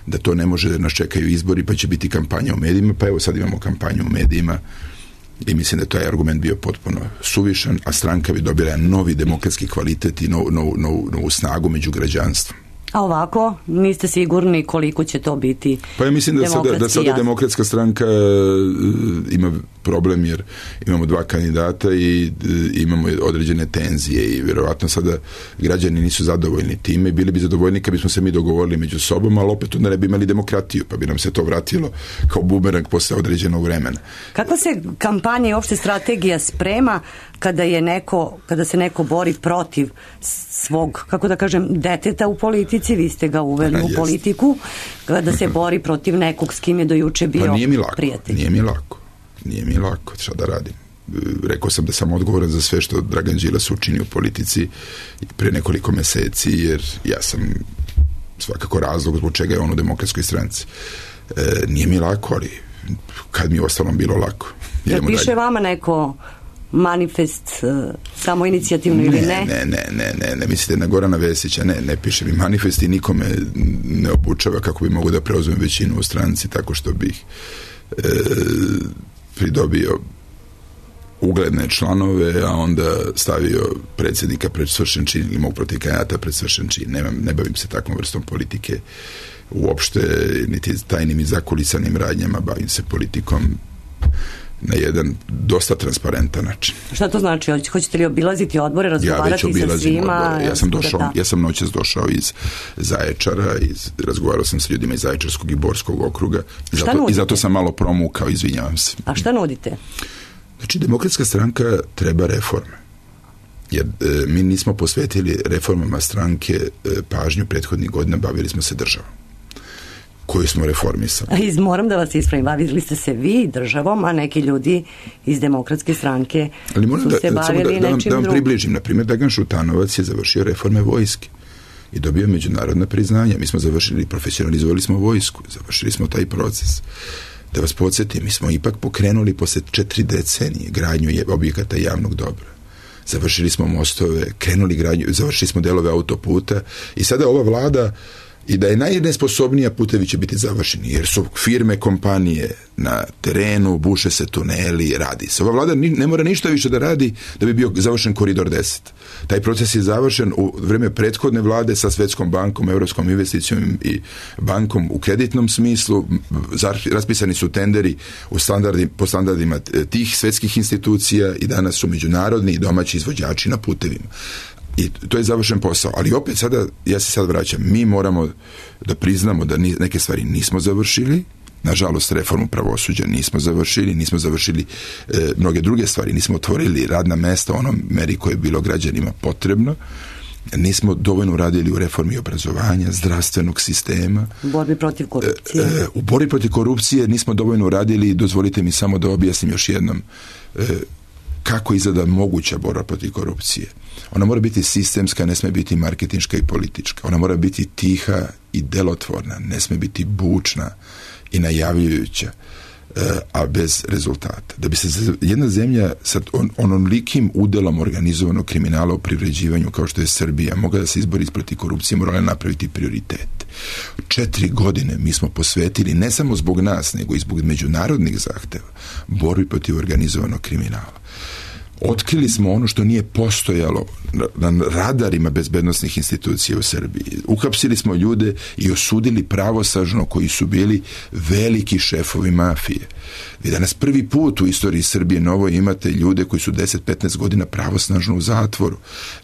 da to ne može, da nas čekaju izbori pa će biti kampanja u medijima, pa evo sad imamo kampanju u medijima i mislim da je taj argument bio potpuno suvišan, a stranka bi dobila novi demokratski kvalitet i novu snagu među građanstvom. A ovako, niste sigurni koliko će to biti? Pa ja mislim da sada Demokratska stranka ima problem jer imamo dva kandidata i imamo određene tenzije i vjerovatno sada građani nisu zadovoljni time i bili bi zadovoljni kad bismo se mi dogovorili među sobom, ali opet onda ne bi imali demokratiju, pa bi nam se to vratilo kao bumerang posle određenog vremena. Kakva se kampanja i uopšte strategija sprema kada se neko bori protiv svog, kako da kažem, deteta u politici, vi ste ga uveli u politiku, kada se bori protiv nekog s kim je do juče bio prijatelj? Nije mi lako, šta da radim. Rekao sam da sam odgovoran za sve što Dragan Đilas učini u politici pre nekoliko meseci, jer ja sam svakako razlog zbog čega je on u Demokratskoj stranci. Nije mi lako, ali kad mi je ostalom bilo lako. Jel piše vama neko manifest samo inicijativno ili ne? Ne, mislite na Gorana Vesića, ne piše mi manifest i nikome ne obučava kako bi mogu da preuzmem većinu u stranci tako što bih pridobio ugledne članove, a onda stavio predsjednika pred svršen čin ili mog protiv kandidata pred svršen čin. Ne bavim se takvom vrstom politike uopšte, niti tajnim i zakulisanim radnjama, bavim se politikom na jedan dosta transparentan način. Šta to znači? Hoćete li obilaziti odbore, razgovarati sa svima? Ja sam noćas došao iz Zaječara, razgovarao sam sa ljudima iz Zaječarskog i Borskog okruga i zato sam malo promukao, izvinjavam se. A šta nudite? Znači, Demokratska stranka treba reforme. Jer mi nismo posvetili reformama stranke pažnju prethodnih godina, bavili smo se državom. koju smo reformisali. Moram da vas ispravim, bavili ste se vi državom, a neki ljudi iz Demokratske stranke su se bavili nečim drugim. Da vam približim, na primjer, Dragan Šutanovac je završio reforme vojske i dobio međunarodna priznanja. Mi smo završili, profesionalizovali smo vojsku, završili smo taj proces. Da vas podsjetim, mi smo ipak pokrenuli posle 4 decenije gradnju objekata javnog dobra. Završili smo mostove, krenuli gradnju, završili smo delove autoputa i sada ova vlada, i da je najnesposobnija, putevi će biti završeni, jer su firme, kompanije na terenu, buše se tuneli, radi se. Ova vlada ne mora ništa više da radi da bi bio završen koridor 10. Taj proces je završen u vreme prethodne vlade sa Svetskom bankom, Evropskom investicijom i bankom u kreditnom smislu. Raspisani su tenderi po standardima tih svetskih institucija i danas su međunarodni i domaći izvođači na putevima. I to je završen posao, ali opet sada, ja se sad vraćam, mi moramo da priznamo da neke stvari nismo završili, nažalost reformu pravosuđa nismo završili mnoge druge stvari, nismo otvorili radna mesta u onom meri koje je bilo građanima potrebno, nismo dovoljno radili u reformi obrazovanja, zdravstvenog sistema. Borbi protiv korupcije. U borbi protiv korupcije nismo dovoljno radili, dozvolite mi samo da objasnim još jednom kako izgleda moguća borba protiv korupcije. Ona mora biti sistemska, ne sme biti marketinška i politička. Ona mora biti tiha i delotvorna, ne sme biti bučna i najavljujuća, a bez rezultata. Da bi se jedna zemlja sa onolikim udelom organizovanog kriminala u privređivanju kao što je Srbija mogla da se izbori protiv korupcije, morala napraviti prioritet. 4 godine mi smo posvetili, ne samo zbog nas, nego i zbog međunarodnih zahteva, borbi protiv organizovanog kriminala. Otkrili smo ono što nije postojalo na radarima bezbednosnih institucija u Srbiji. Uhapsili smo ljude i osudili pravosnažno koji su bili veliki šefovi mafije. Vi danas prvi put u istoriji Srbije novoj imate ljude koji su 10-15 godina pravosnažno u zatvoru.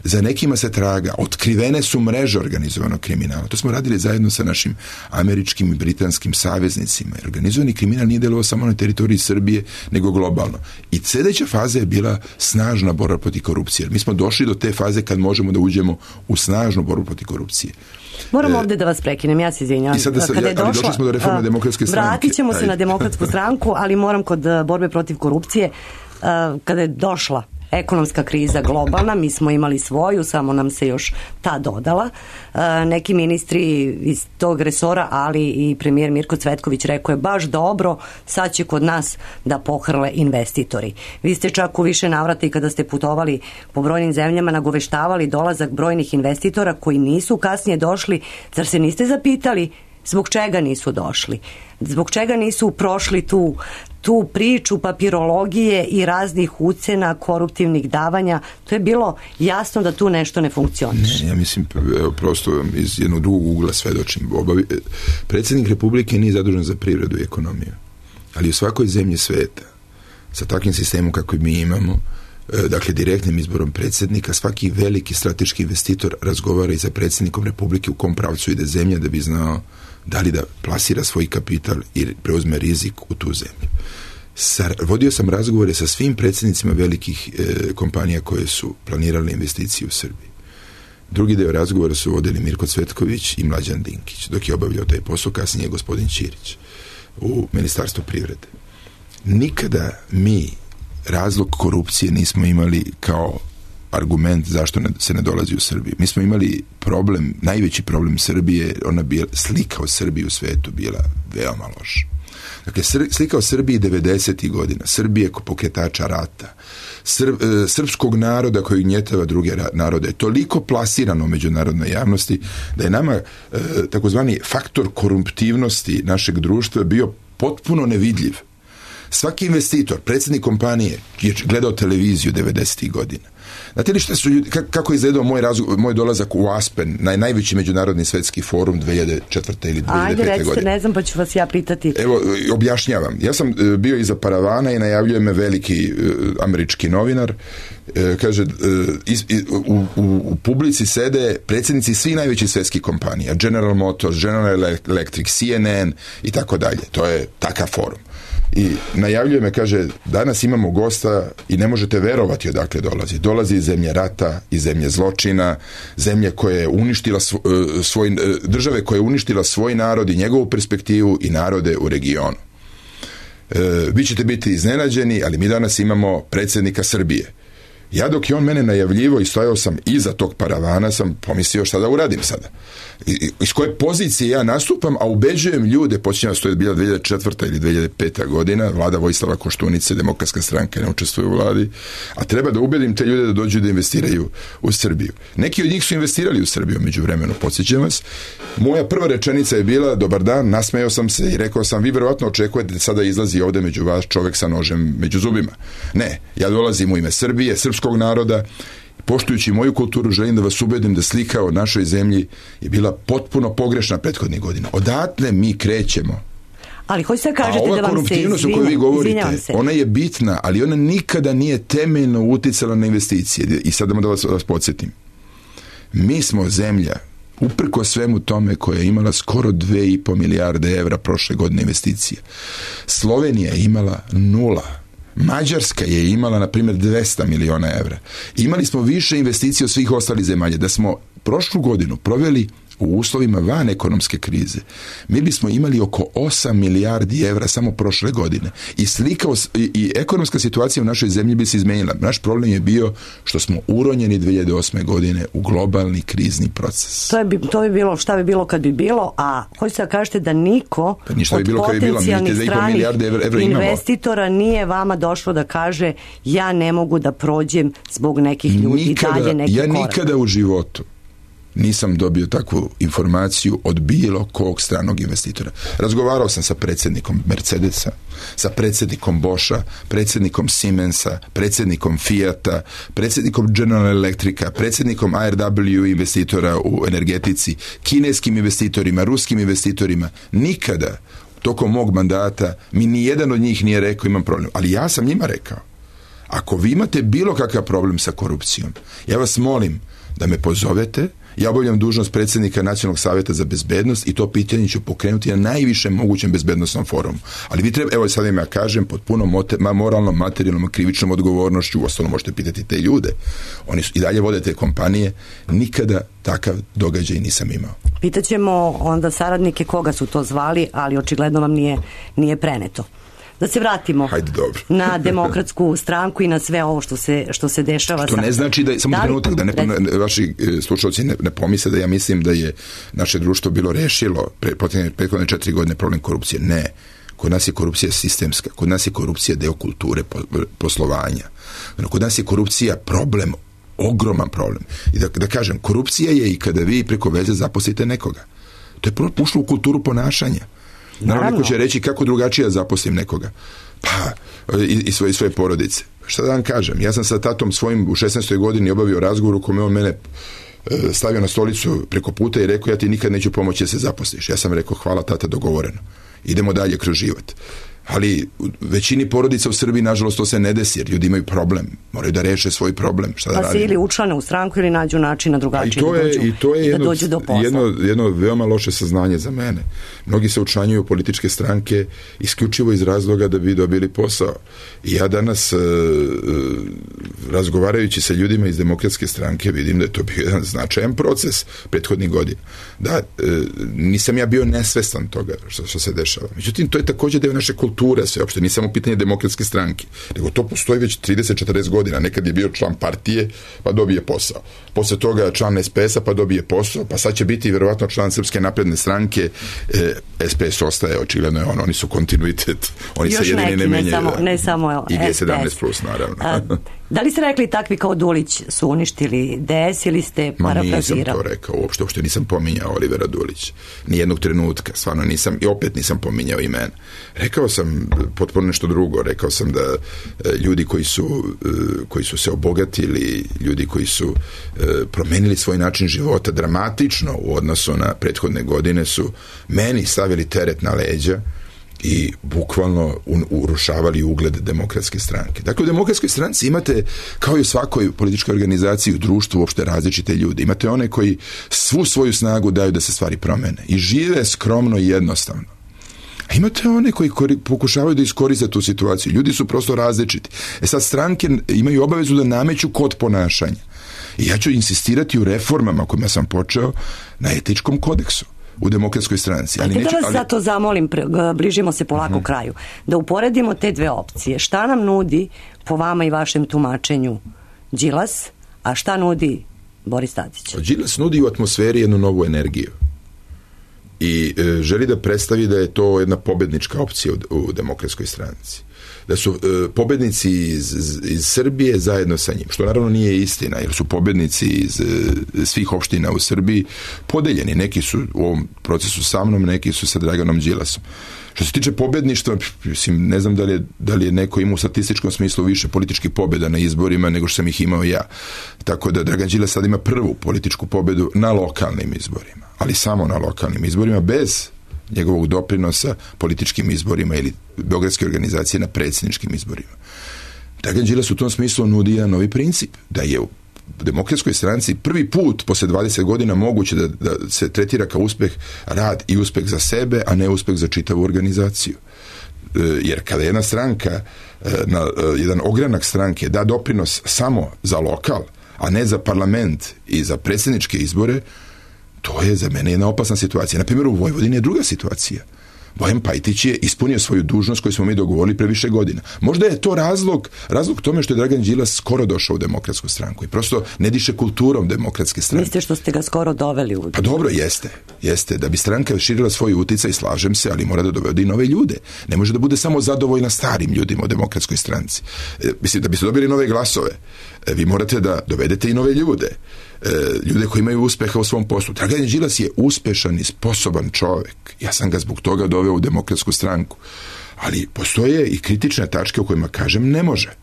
Za nekima se traga. Otkrivene su mreže organizovanog kriminala. To smo radili zajedno sa našim američkim i britanskim saveznicima. Organizovani kriminal nije delovao samo na teritoriji Srbije, nego globalno. I sljedeća faza je bila snažna borba protiv korupcije. Mi smo došli do te faze kad možemo da uđemo u snažnu borbu protiv korupcije. Moram ovdje da vas prekinem, ja se izvinjavam. Ali došli smo do reforme Demokratske stranke. Vratit ćemo se na Demokratsku stranku, ali moram kod borbe protiv korupcije, kada je došla ekonomska kriza globalna, mi smo imali svoju, samo nam se još ta dodala. Neki ministri iz tog resora, ali i premijer Mirko Cvetković rekao je baš dobro, sad će kod nas da pohrle investitori. Vi ste čak u više navrata i kada ste putovali po brojnim zemljama nagoveštavali dolazak brojnih investitora koji nisu kasnije došli. Zar se niste zapitali zbog čega nisu došli? Zbog čega nisu prošli tu priču papirologije i raznih ucena, koruptivnih davanja? To je bilo jasno da tu nešto ne funkcioniše. Ja mislim, prosto iz jednog drugog ugla svedočim. Predsjednik Republike nije zadužen za privredu i ekonomiju, ali u svakoj zemlji sveta sa takvim sistemom kako mi imamo, dakle direktnim izborom predsjednika, svaki veliki strateški investitor razgovara i sa predsjednikom Republike u kom pravcu ide zemlja da bi znao da li da plasira svoj kapital i preuzme rizik u tu zemlju. Vodio sam razgovore sa svim predsjednicima velikih kompanija koje su planirale investicije u Srbiji. Drugi deo razgovora su vodili Mirko Cvetković i Mlađan Dinkić, dok je obavljao taj posao, kasnije gospodin Ćirić u Ministarstvu privrede. Nikada mi razlog korupcije nismo imali kao argument zašto se ne dolazi u Srbiju. Mi smo imali problem, najveći problem Srbije, slika o Srbiji u svetu bila veoma loša. Dakle, slika o Srbiji 90. godina, Srbije ko pokretača rata, srpskog naroda koji gnjetava druge narode, je toliko plasirano u međunarodnoj javnosti da je nama takozvani faktor korumptivnosti našeg društva bio potpuno nevidljiv. Svaki investitor, predsjednik kompanije je gledao televiziju 90. godina. Znate li šta su ljudi, kako je izgledao moj dolazak u Aspen, najveći međunarodni svetski forum 2004. ili 2005. godine? Ajde, recite, ne znam, pa ću vas ja pitati. Evo, objašnjavam. Ja sam bio iza paravana i najavljuje me veliki američki novinar. Kaže, u publici sede predsjednici svih najvećih svetskih kompanija. General Motors, General Electric, CNN i tako dalje. To je takav forum. i najavljuje me, kaže, danas imamo gosta i ne možete verovati odakle dolazi. Dolazi iz zemlje rata, iz zemlje zločina, zemlje koja je uništila države koja je uništila svoj narod i njegovu perspektivu i narode u regionu. Vi ćete biti iznenađeni, ali mi danas imamo predsjednika Srbije. Ja dok je on mene najavljivo i stojao sam iza tog paravana, sam pomislio šta da uradim sada. Iz koje pozicije ja nastupam, a ubeđujem ljude, počinjam da to je bila 2004. ili 2005. godina, vlada Vojislava Koštunice, Demokratska stranka ne učestvuje u vladi, a treba da ubedim te ljude da dođu da investiraju u Srbiju. Neki od njih su investirali u Srbiju međuvremenu, podsjećam vas. Moja prva rečenica je bila, dobar dan, nasmejao sam se i rekao sam, vi verovatno očekujete da sada izlazi ovde među vas čovek sa nožem među zubima. Ne, ja dolazim u ime Srbije, srpskog naroda, poštujući moju kulturu, želim da vas ubedim da slika o našoj zemlji je bila potpuno pogrešna prethodnih godina. Odatle mi krećemo. Ali hoćete da kažete da vam se koruptivnost o kojoj vi govorite, ona je bitna, ali ona nikada nije temeljno uticala na investicije. I sad da vas podsjetim. Mi smo zemlja, uprko svemu tome, koja je imala skoro 2,5 milijarde evra prošle godine investicije. Slovenija je imala 0. Mađarska je imala, na primjer, 200 miliona evra. Imali smo više investicija od svih ostalih zemalja. Da smo prošlu godinu proveli u uslovima van ekonomske krize, mi bismo imali oko 8 milijardi evra samo prošle godine. I slika i ekonomska situacija u našoj zemlji bi se izmenila. Naš problem je bio što smo uronjeni 2008. godine u globalni krizni proces. To bi bilo, šta bi bilo kad bi bilo, a hoćete da kažete da niko od potencijalnih stranih investitora nije vama došlo da kaže ja ne mogu da prođem zbog nekih ljudi dalje neki korak. Ja nikada u životu nisam dobio takvu informaciju od bilo kog stranog investitora. Razgovarao sam sa predsjednikom Mercedesa, sa predsjednikom Boscha, predsjednikom Siemensa, predsjednikom Fiata, predsjednikom General Electrica, predsjednikom ARW investitora u energetici, kineskim investitorima, ruskim investitorima. Nikada tokom mog mandata mi ni jedan od njih nije rekao imam problem. Ali ja sam njima rekao, ako vi imate bilo kakav problem sa korupcijom, ja vas molim da me pozovete. Ja obavljam dužnost predsjednika Nacionalnog savjeta za bezbednost i to pitanje ću pokrenuti na najvišem mogućem bezbednostnom forumu. Ali vi treba, evo sad im ja kažem, pod puno moralnom, materijalnom, krivičnom odgovornošću, uostalom možete pitati te ljude. Oni su i dalje vode te kompanije. Nikada takav događaj nisam imao. Pitaćemo onda saradnike koga su to zvali, ali očigledno vam nije preneto. Da se vratimo na Demokratsku stranku i na sve ovo što se dešava. To ne znači da, samo trenutak, da vaši slušalci ne pomisle da ja mislim da je naše društvo bilo rešilo prethodne 4 godine problem korupcije. Ne. Kod nas je korupcija sistemska. Kod nas je korupcija deo kulture poslovanja. Kod nas je korupcija problem, ogroman problem. I da kažem, korupcija je i kada vi preko veze zaposlite nekoga. To je ušlo u kulturu ponašanja. Naravno, neko će reći kako drugačije zaposlim nekoga. Pa, i svoje porodice. Šta da vam kažem? Ja sam sa tatom svojim u 16. godini obavio razgovor u kome on mene stavio na stolicu preko puta i rekao, ja ti nikad neću pomoći da se zaposliš. Ja sam rekao, hvala tata, dogovoreno. Idemo dalje kroz život. Ali u većini porodica u Srbiji, nažalost, to se ne desi, jer ljudi imaju problem. Moraju da reše svoj problem. Šta da radimo? Pa se ili učlane u stranku ili nađu način na drugačije da dođu do posla. Jedno veoma loše saznanje za mene. Mnogi se učlanjuju u političke stranke isključivo iz razloga da bi dobili posao. I ja danas, razgovarajući sa ljudima iz Demokratske stranke, vidim da je to bio jedan značajan proces prethodnih godina. Da, nisam ja bio nesvestan toga što se dešava. Međutim, to je također deo naše kulture, sve uopšte, nije samo pitanje Demokratske stranke, nego to postoji već 30-40 godina. Nekad je bio član partije, pa dobije posao. Posle toga član SPS-a, pa dobije posao, pa sad će biti vjerovatno član Srpske napredne stranke. SPS ostaje, očigledno je oni su kontinuitet. Oni se jedini ne menjaju. Ne samo i G17 plus, naravno. Da li ste rekli takvi kao Dulić su uništili DS ili ste parafrazirali? Nisam to rekao, uopšte nisam pominjao Olivera Dulića. Nijednog trenutka, stvarno nisam, i opet nisam pominjao imena. Rekao sam potpuno nešto drugo. Rekao sam da ljudi koji su se obogatili, ljudi koji su promenili svoj način života dramatično u odnosu na prethodne godine su meni stavili teret na leđa i bukvalno urušavali ugled Demokratske stranke. Dakle, u Demokratskoj stranci imate, kao i u svakoj političkoj organizaciji u društvu, uopšte različite ljude. Imate one koji svu svoju snagu daju da se stvari promene i žive skromno i jednostavno. A imate one koji pokušavaju da iskoriste tu situaciju. Ljudi su prosto različiti. Sad stranke imaju obavezu da nameću kod ponašanja. I ja ću insistirati u reformama kojima sam počeo na etičkom kodeksu u Demokratskoj stranci. Ali da vas zato zamolim, bližimo se polako kraju, da uporedimo te dve opcije. Šta nam nudi po vama i vašem tumačenju Đilas, a šta nudi Boris Tadić? Đilas nudi u atmosferi jednu novu energiju i želi da predstavi da je to jedna pobednička opcija u Demokratskoj stranci. Da su pobednici iz Srbije zajedno sa njim, što naravno nije istina, jer su pobednici iz svih opština u Srbiji podeljeni. Neki su u ovom procesu sa mnom, neki su sa Draganom Đilasom. Što se tiče pobedništva, mislim, ne znam da li je neko imao u statističkom smislu više političkih pobjeda na izborima nego što sam ih imao ja. Tako da Dragan Đilas sad ima prvu političku pobjedu na lokalnim izborima, ali samo na lokalnim izborima, bez njegovog doprinosa političkim izborima ili beogradske organizacije na predsjedničkim izborima. Dragan Đilas u tom smislu nudi jedan novi princip, da je u Demokratskoj stranci prvi put posle 20 godina moguće da se tretira kao uspeh rad i uspeh za sebe, a ne uspeh za čitavu organizaciju. Jer kada jedna stranka, jedan ogranak stranke da doprinos samo za lokal, a ne za parlament i za predsjedničke izbore, to je za mene jedna opasna situacija. Na primjer, u Vojvodini je druga situacija. Bojan Pajtić je ispunio svoju dužnost koju smo mi dogovorili pre više godina. Možda je to razlog tome što je Dragan Đilas skoro došao u Demokratsku stranku i prosto ne diše kulturom Demokratske stranke. Mislite što ste ga skoro doveli u... Pa dobro, jeste. Da bi stranka širila svoj uticaj, slažem se, ali mora da dovede i nove ljude. Ne može da bude samo zadovoljna starim ljudima u Demokratskoj stranci. Mislim, da biste dobili nove glasove, vi morate da dovedete i nove ljude. Ljude koji imaju uspeha u svom poslu. Dragan Đilas je uspešan i sposoban čovjek. Ja sam ga zbog toga doveo u Demokratsku stranku. Ali postoje i kritične tačke u kojima kažem ne može.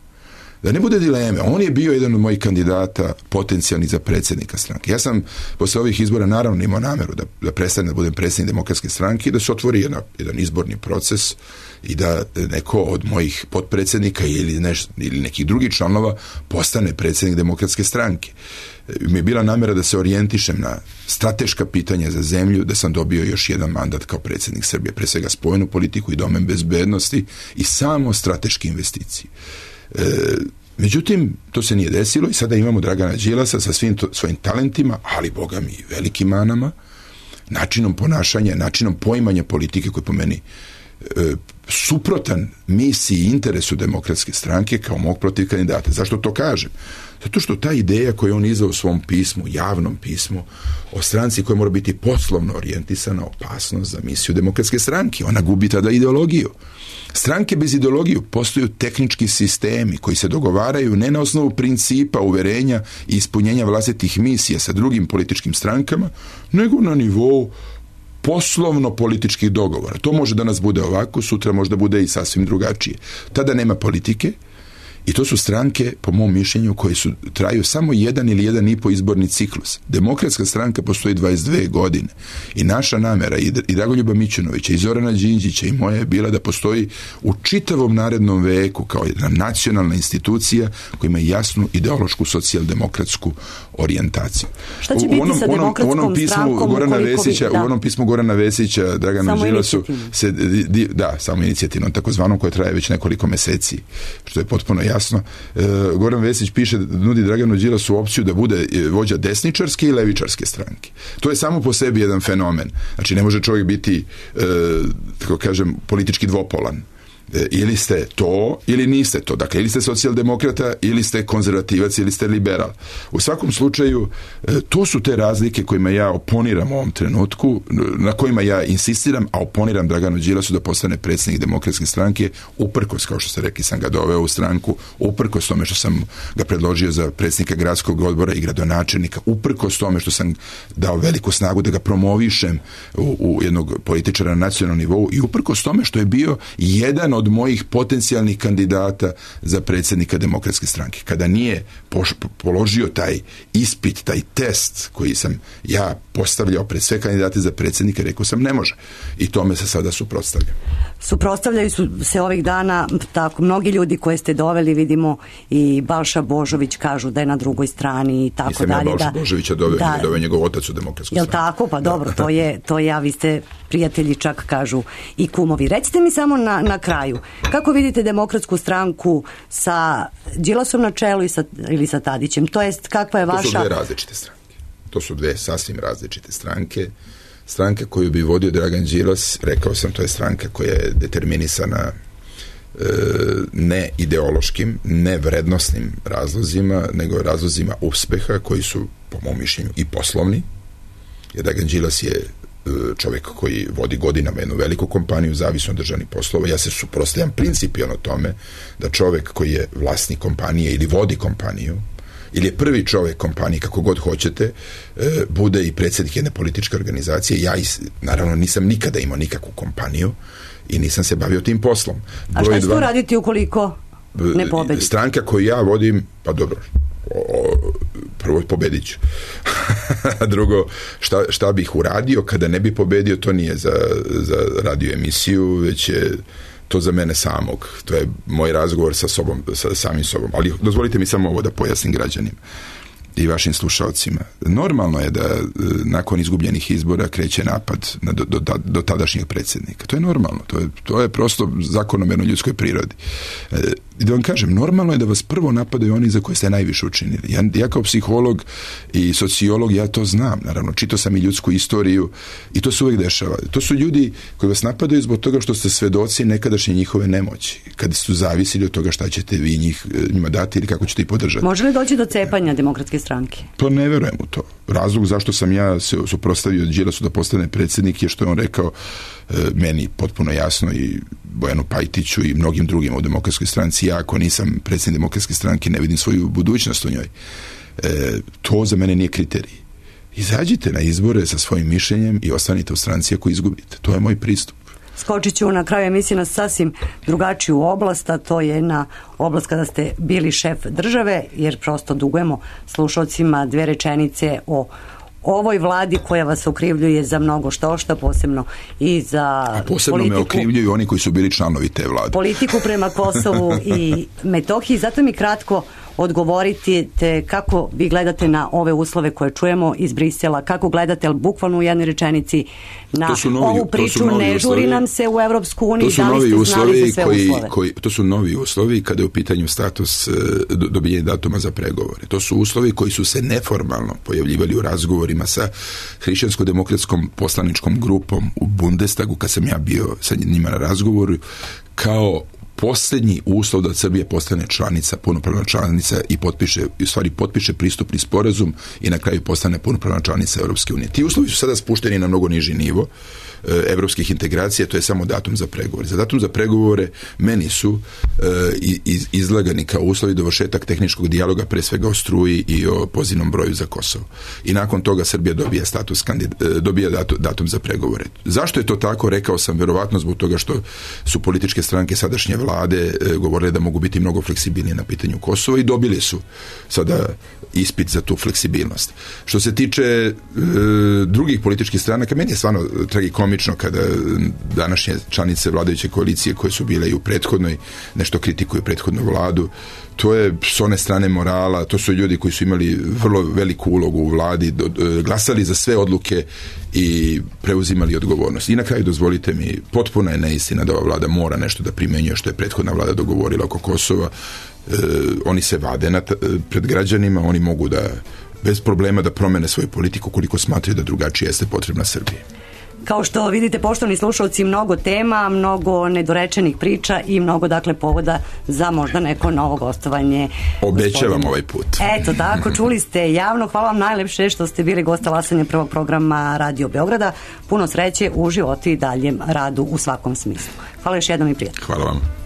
Da ne bude dileme. On je bio jedan od mojih kandidata potencijalni za predsjednika stranke. Ja sam posle ovih izbora naravno imao nameru da prestanem da budem predsjednik Demokratske stranke i da se otvori jedan izborni proces i da neko od mojih potpredsjednika ili nekih drugih članova postane predsjednik Demokratske stranke. Mi je bila namera da se orijentišem na strateška pitanja za zemlju, da sam dobio još jedan mandat kao predsjednik Srbije, pre svega spoljnu politiku i domen bezbednosti i samo strateške investicije. Međutim, to se nije desilo i sada imamo Dragana Đilasa sa svim svojim talentima, ali boga mi velikim manama, načinom ponašanja, načinom poimanja politike koji po meni suprotan misiji i interesu Demokratske stranke kao mog protiv kandidata. Zašto to kažem? Zato što ta ideja koju on izdao u svom pismu, javnom pismu, o stranci koja mora biti poslovno orijentisana, opasnost za misiju Demokratske stranke. Ona gubi tada ideologiju. Stranke bez ideologiju postaju tehnički sistemi koji se dogovaraju ne na osnovu principa, uverenja i ispunjenja vlastitih misija sa drugim političkim strankama, nego na nivou poslovno-političkih dogovora. To može danas bude ovako, sutra možda bude i sasvim drugačije. Tada nema politike i to su stranke, po mom mišljenju, koje traju samo 1 ili 1,5 izborni ciklus. Demokratska stranka postoji 22 godine i naša namera i Dragoljuba Mićunovića i Zorana Đinđića i moja je bila da postoji u čitavom narednom veku kao jedna nacionalna institucija koja ima jasnu ideološku socijaldemokratsku orijentaciju. Šta će biti sa Demokratskom strankom? U onom pismu Gorana Vesića Draganu Đilasu samo inicijativnom, takozvanom, koja traje već nekoliko meseci, što je potpuno jasno. Goran Vesić piše da nudi Draganu Đilasu opciju da bude vođa desničarske i levičarske stranke. To je samo po sebi jedan fenomen. Znači, ne može čovjek biti, tako kažem, politički dvopolan. Ili ste to, ili niste to. Dakle, ili ste socijaldemokrata, ili ste konzervativac, ili ste liberal. U svakom slučaju, to su te razlike kojima ja oponiram u ovom trenutku, na kojima ja insistiram, a oponiram Draganu Đilasu da postane predsjednik Demokratske stranke, uprkos, kao što ste rekli, sam ga doveo u stranku, uprkos tome što sam ga predložio za predsjednika gradskog odbora i gradonačelnika, uprkos tome što sam dao veliku snagu da ga promovišem u jednog političara na nacionalnom nivou i uprkos tome što je bio jedan od mojih potencijalnih kandidata za predsjednika Demokratske stranke. Kada nije položio taj ispit, taj test koji sam ja postavljao pred sve kandidate za predsjednika, rekao sam ne može. I tome se sada suprotstavljam. Suprotstavljaju se ovih dana tako mnogi ljudi koje ste doveli, vidimo i Balša Božović kažu da je na drugoj strani i tako Nisam dalje. Nisam ja Balša Božovića doveo njegov otac u Demokratsku Jel stranu. tako? Pa dobro, to je, vi ste prijatelji, čak kažu i kumovi. Recite mi samo na kraju, kako vidite Demokratsku stranku sa Đilasom na čelu ili sa Tadićem? To jest, kakva je vaša... To su dve različite stranke. To su dve sasvim različite stranke. Stranka koju bi vodio Dragan Đilas, rekao sam, to je stranka koja je determinisana ne ideološkim, ne vrednosnim razlozima, nego razlozima uspeha koji su, po mom mišljenju, i poslovni. Jer Dragan Đilas je čovjek koji vodi godinama jednu veliku kompaniju, zavisno od državnih poslova. Ja se suprotstavljam principijelno tome da čovjek koji je vlasnik kompanije ili vodi kompaniju, ili je prvi čovjek kompanije, kako god hoćete, bude i predsjednik jedne političke organizacije. Ja naravno nisam nikada imao nikakvu kompaniju i nisam se bavio tim poslom. A šta će tu raditi ukoliko ne pobedi? Stranka koju ja vodim, pa dobro, prvo pobedit ću. Drugo, šta bih uradio kada ne bi pobedio, to nije za radio emisiju, već je to za mene samog. To je moj razgovor sa samim sobom. Ali dozvolite mi samo ovo da pojasnim građanima i vašim slušalcima. Normalno je da nakon izgubljenih izbora kreće napad do tadašnjeg predsjednika. To je normalno. To je prosto zakonomerno ljudskoj prirodi. I da vam kažem, normalno je da vas prvo napadaju oni za koje ste najviše učinili. Ja kao psiholog i sociolog, ja to znam. Naravno, čitao sam i ljudsku istoriju i to se uvijek dešava. To su ljudi koji vas napadaju zbog toga što ste svedoci nekadašnje njihove nemoći. Kada su zavisili od toga šta ćete vi njima dati ili kako ćete ih podržati. Može li doći do cepanja Demokratske stranke? Pa ne verujem u to. Razlog zašto sam ja se suprotstavio Đilasu da postane predsjednik je što je on rekao meni potpuno jasno i Bojanu Pajtiću i mnogim drugim u Demokratskoj stranci. Ja ako nisam predsjednik Demokratske stranke ne vidim svoju budućnost u njoj. To za mene nije kriterij. Izađite na izbore sa svojim mišljenjem i ostanite u stranci ako izgubite. To je moj pristup. Skočit ću na kraju emisije na sasvim drugačiju oblast, a to je jedna oblast kada ste bili šef države, jer prosto dugujemo slušalcima dve rečenice o ovoj vladi koja vas okrivljuje za mnogo štošta, posebno i za posebno politiku. Me okrivljuju oni koji su bili članovi te vlade. Politiku prema Kosovu i Metohiji. Zato mi kratko odgovoriti kako vi gledate na ove uslove koje čujemo iz Brisela, kako gledate, ali bukvalno u jednoj rečenici na ovu priču, ne žuri nam se u Evropsku uniju, da li ste znali za sve uslove? To su novi uslovi kada je u pitanju status dobijenja datuma za pregovore. To su uslovi koji su se neformalno pojavljivali u razgovorima sa hrišćansko-demokratskom poslaničkom grupom u Bundestagu, kad sam ja bio sa njima na razgovoru, kao posljednji uslov da Srbija postane članica, punopravna članica i potpiše pristupni sporazum i na kraju postane punopravna članica Europske unije. Ti uslovi su sada spušteni na mnogo niži nivo evropskih integracija, to je samo datum za pregovore. Za datum za pregovore meni su izlagani kao uslovi dovršetak tehničkog dijaloga, pre svega o struji i o pozivnom broju za Kosovo. I nakon toga Srbija dobija datum za pregovore. Zašto je to tako? Rekao sam, verovatno zbog toga što su političke stranke sadašnje vlade govorile da mogu biti mnogo fleksibilnije na pitanju Kosova i dobili su sada ispit za tu fleksibilnost. Što se tiče drugih političkih stranaka, meni je stvarno tragikomično kada današnje članice vladajuće koalicije koje su bile i u prethodnoj nešto kritikuju prethodnu vladu. To je s one strane morala, to su ljudi koji su imali vrlo veliku ulogu u vladi, glasali za sve odluke i preuzimali odgovornost. I na kraju dozvolite mi, potpuna je neistina da ova vlada mora nešto da primenjuje što je prethodna vlada dogovorila oko Kosova. Oni se vade pred građanima, oni mogu da bez problema da promene svoju politiku koliko smatraju da drugačije jeste potrebna Srbiji. Kao što vidite, poštovani slušalci, mnogo tema, mnogo nedorečenih priča i mnogo, dakle, povoda za možda neko novo gostovanje. Obećavam ovaj put. Eto, tako, čuli ste javno. Hvala vam najlepše što ste bili gosta lasanja prvog programa Radio Beograda. Puno sreće u životu i daljem radu u svakom smislu. Hvala još jednom i prijatno. Hvala vam.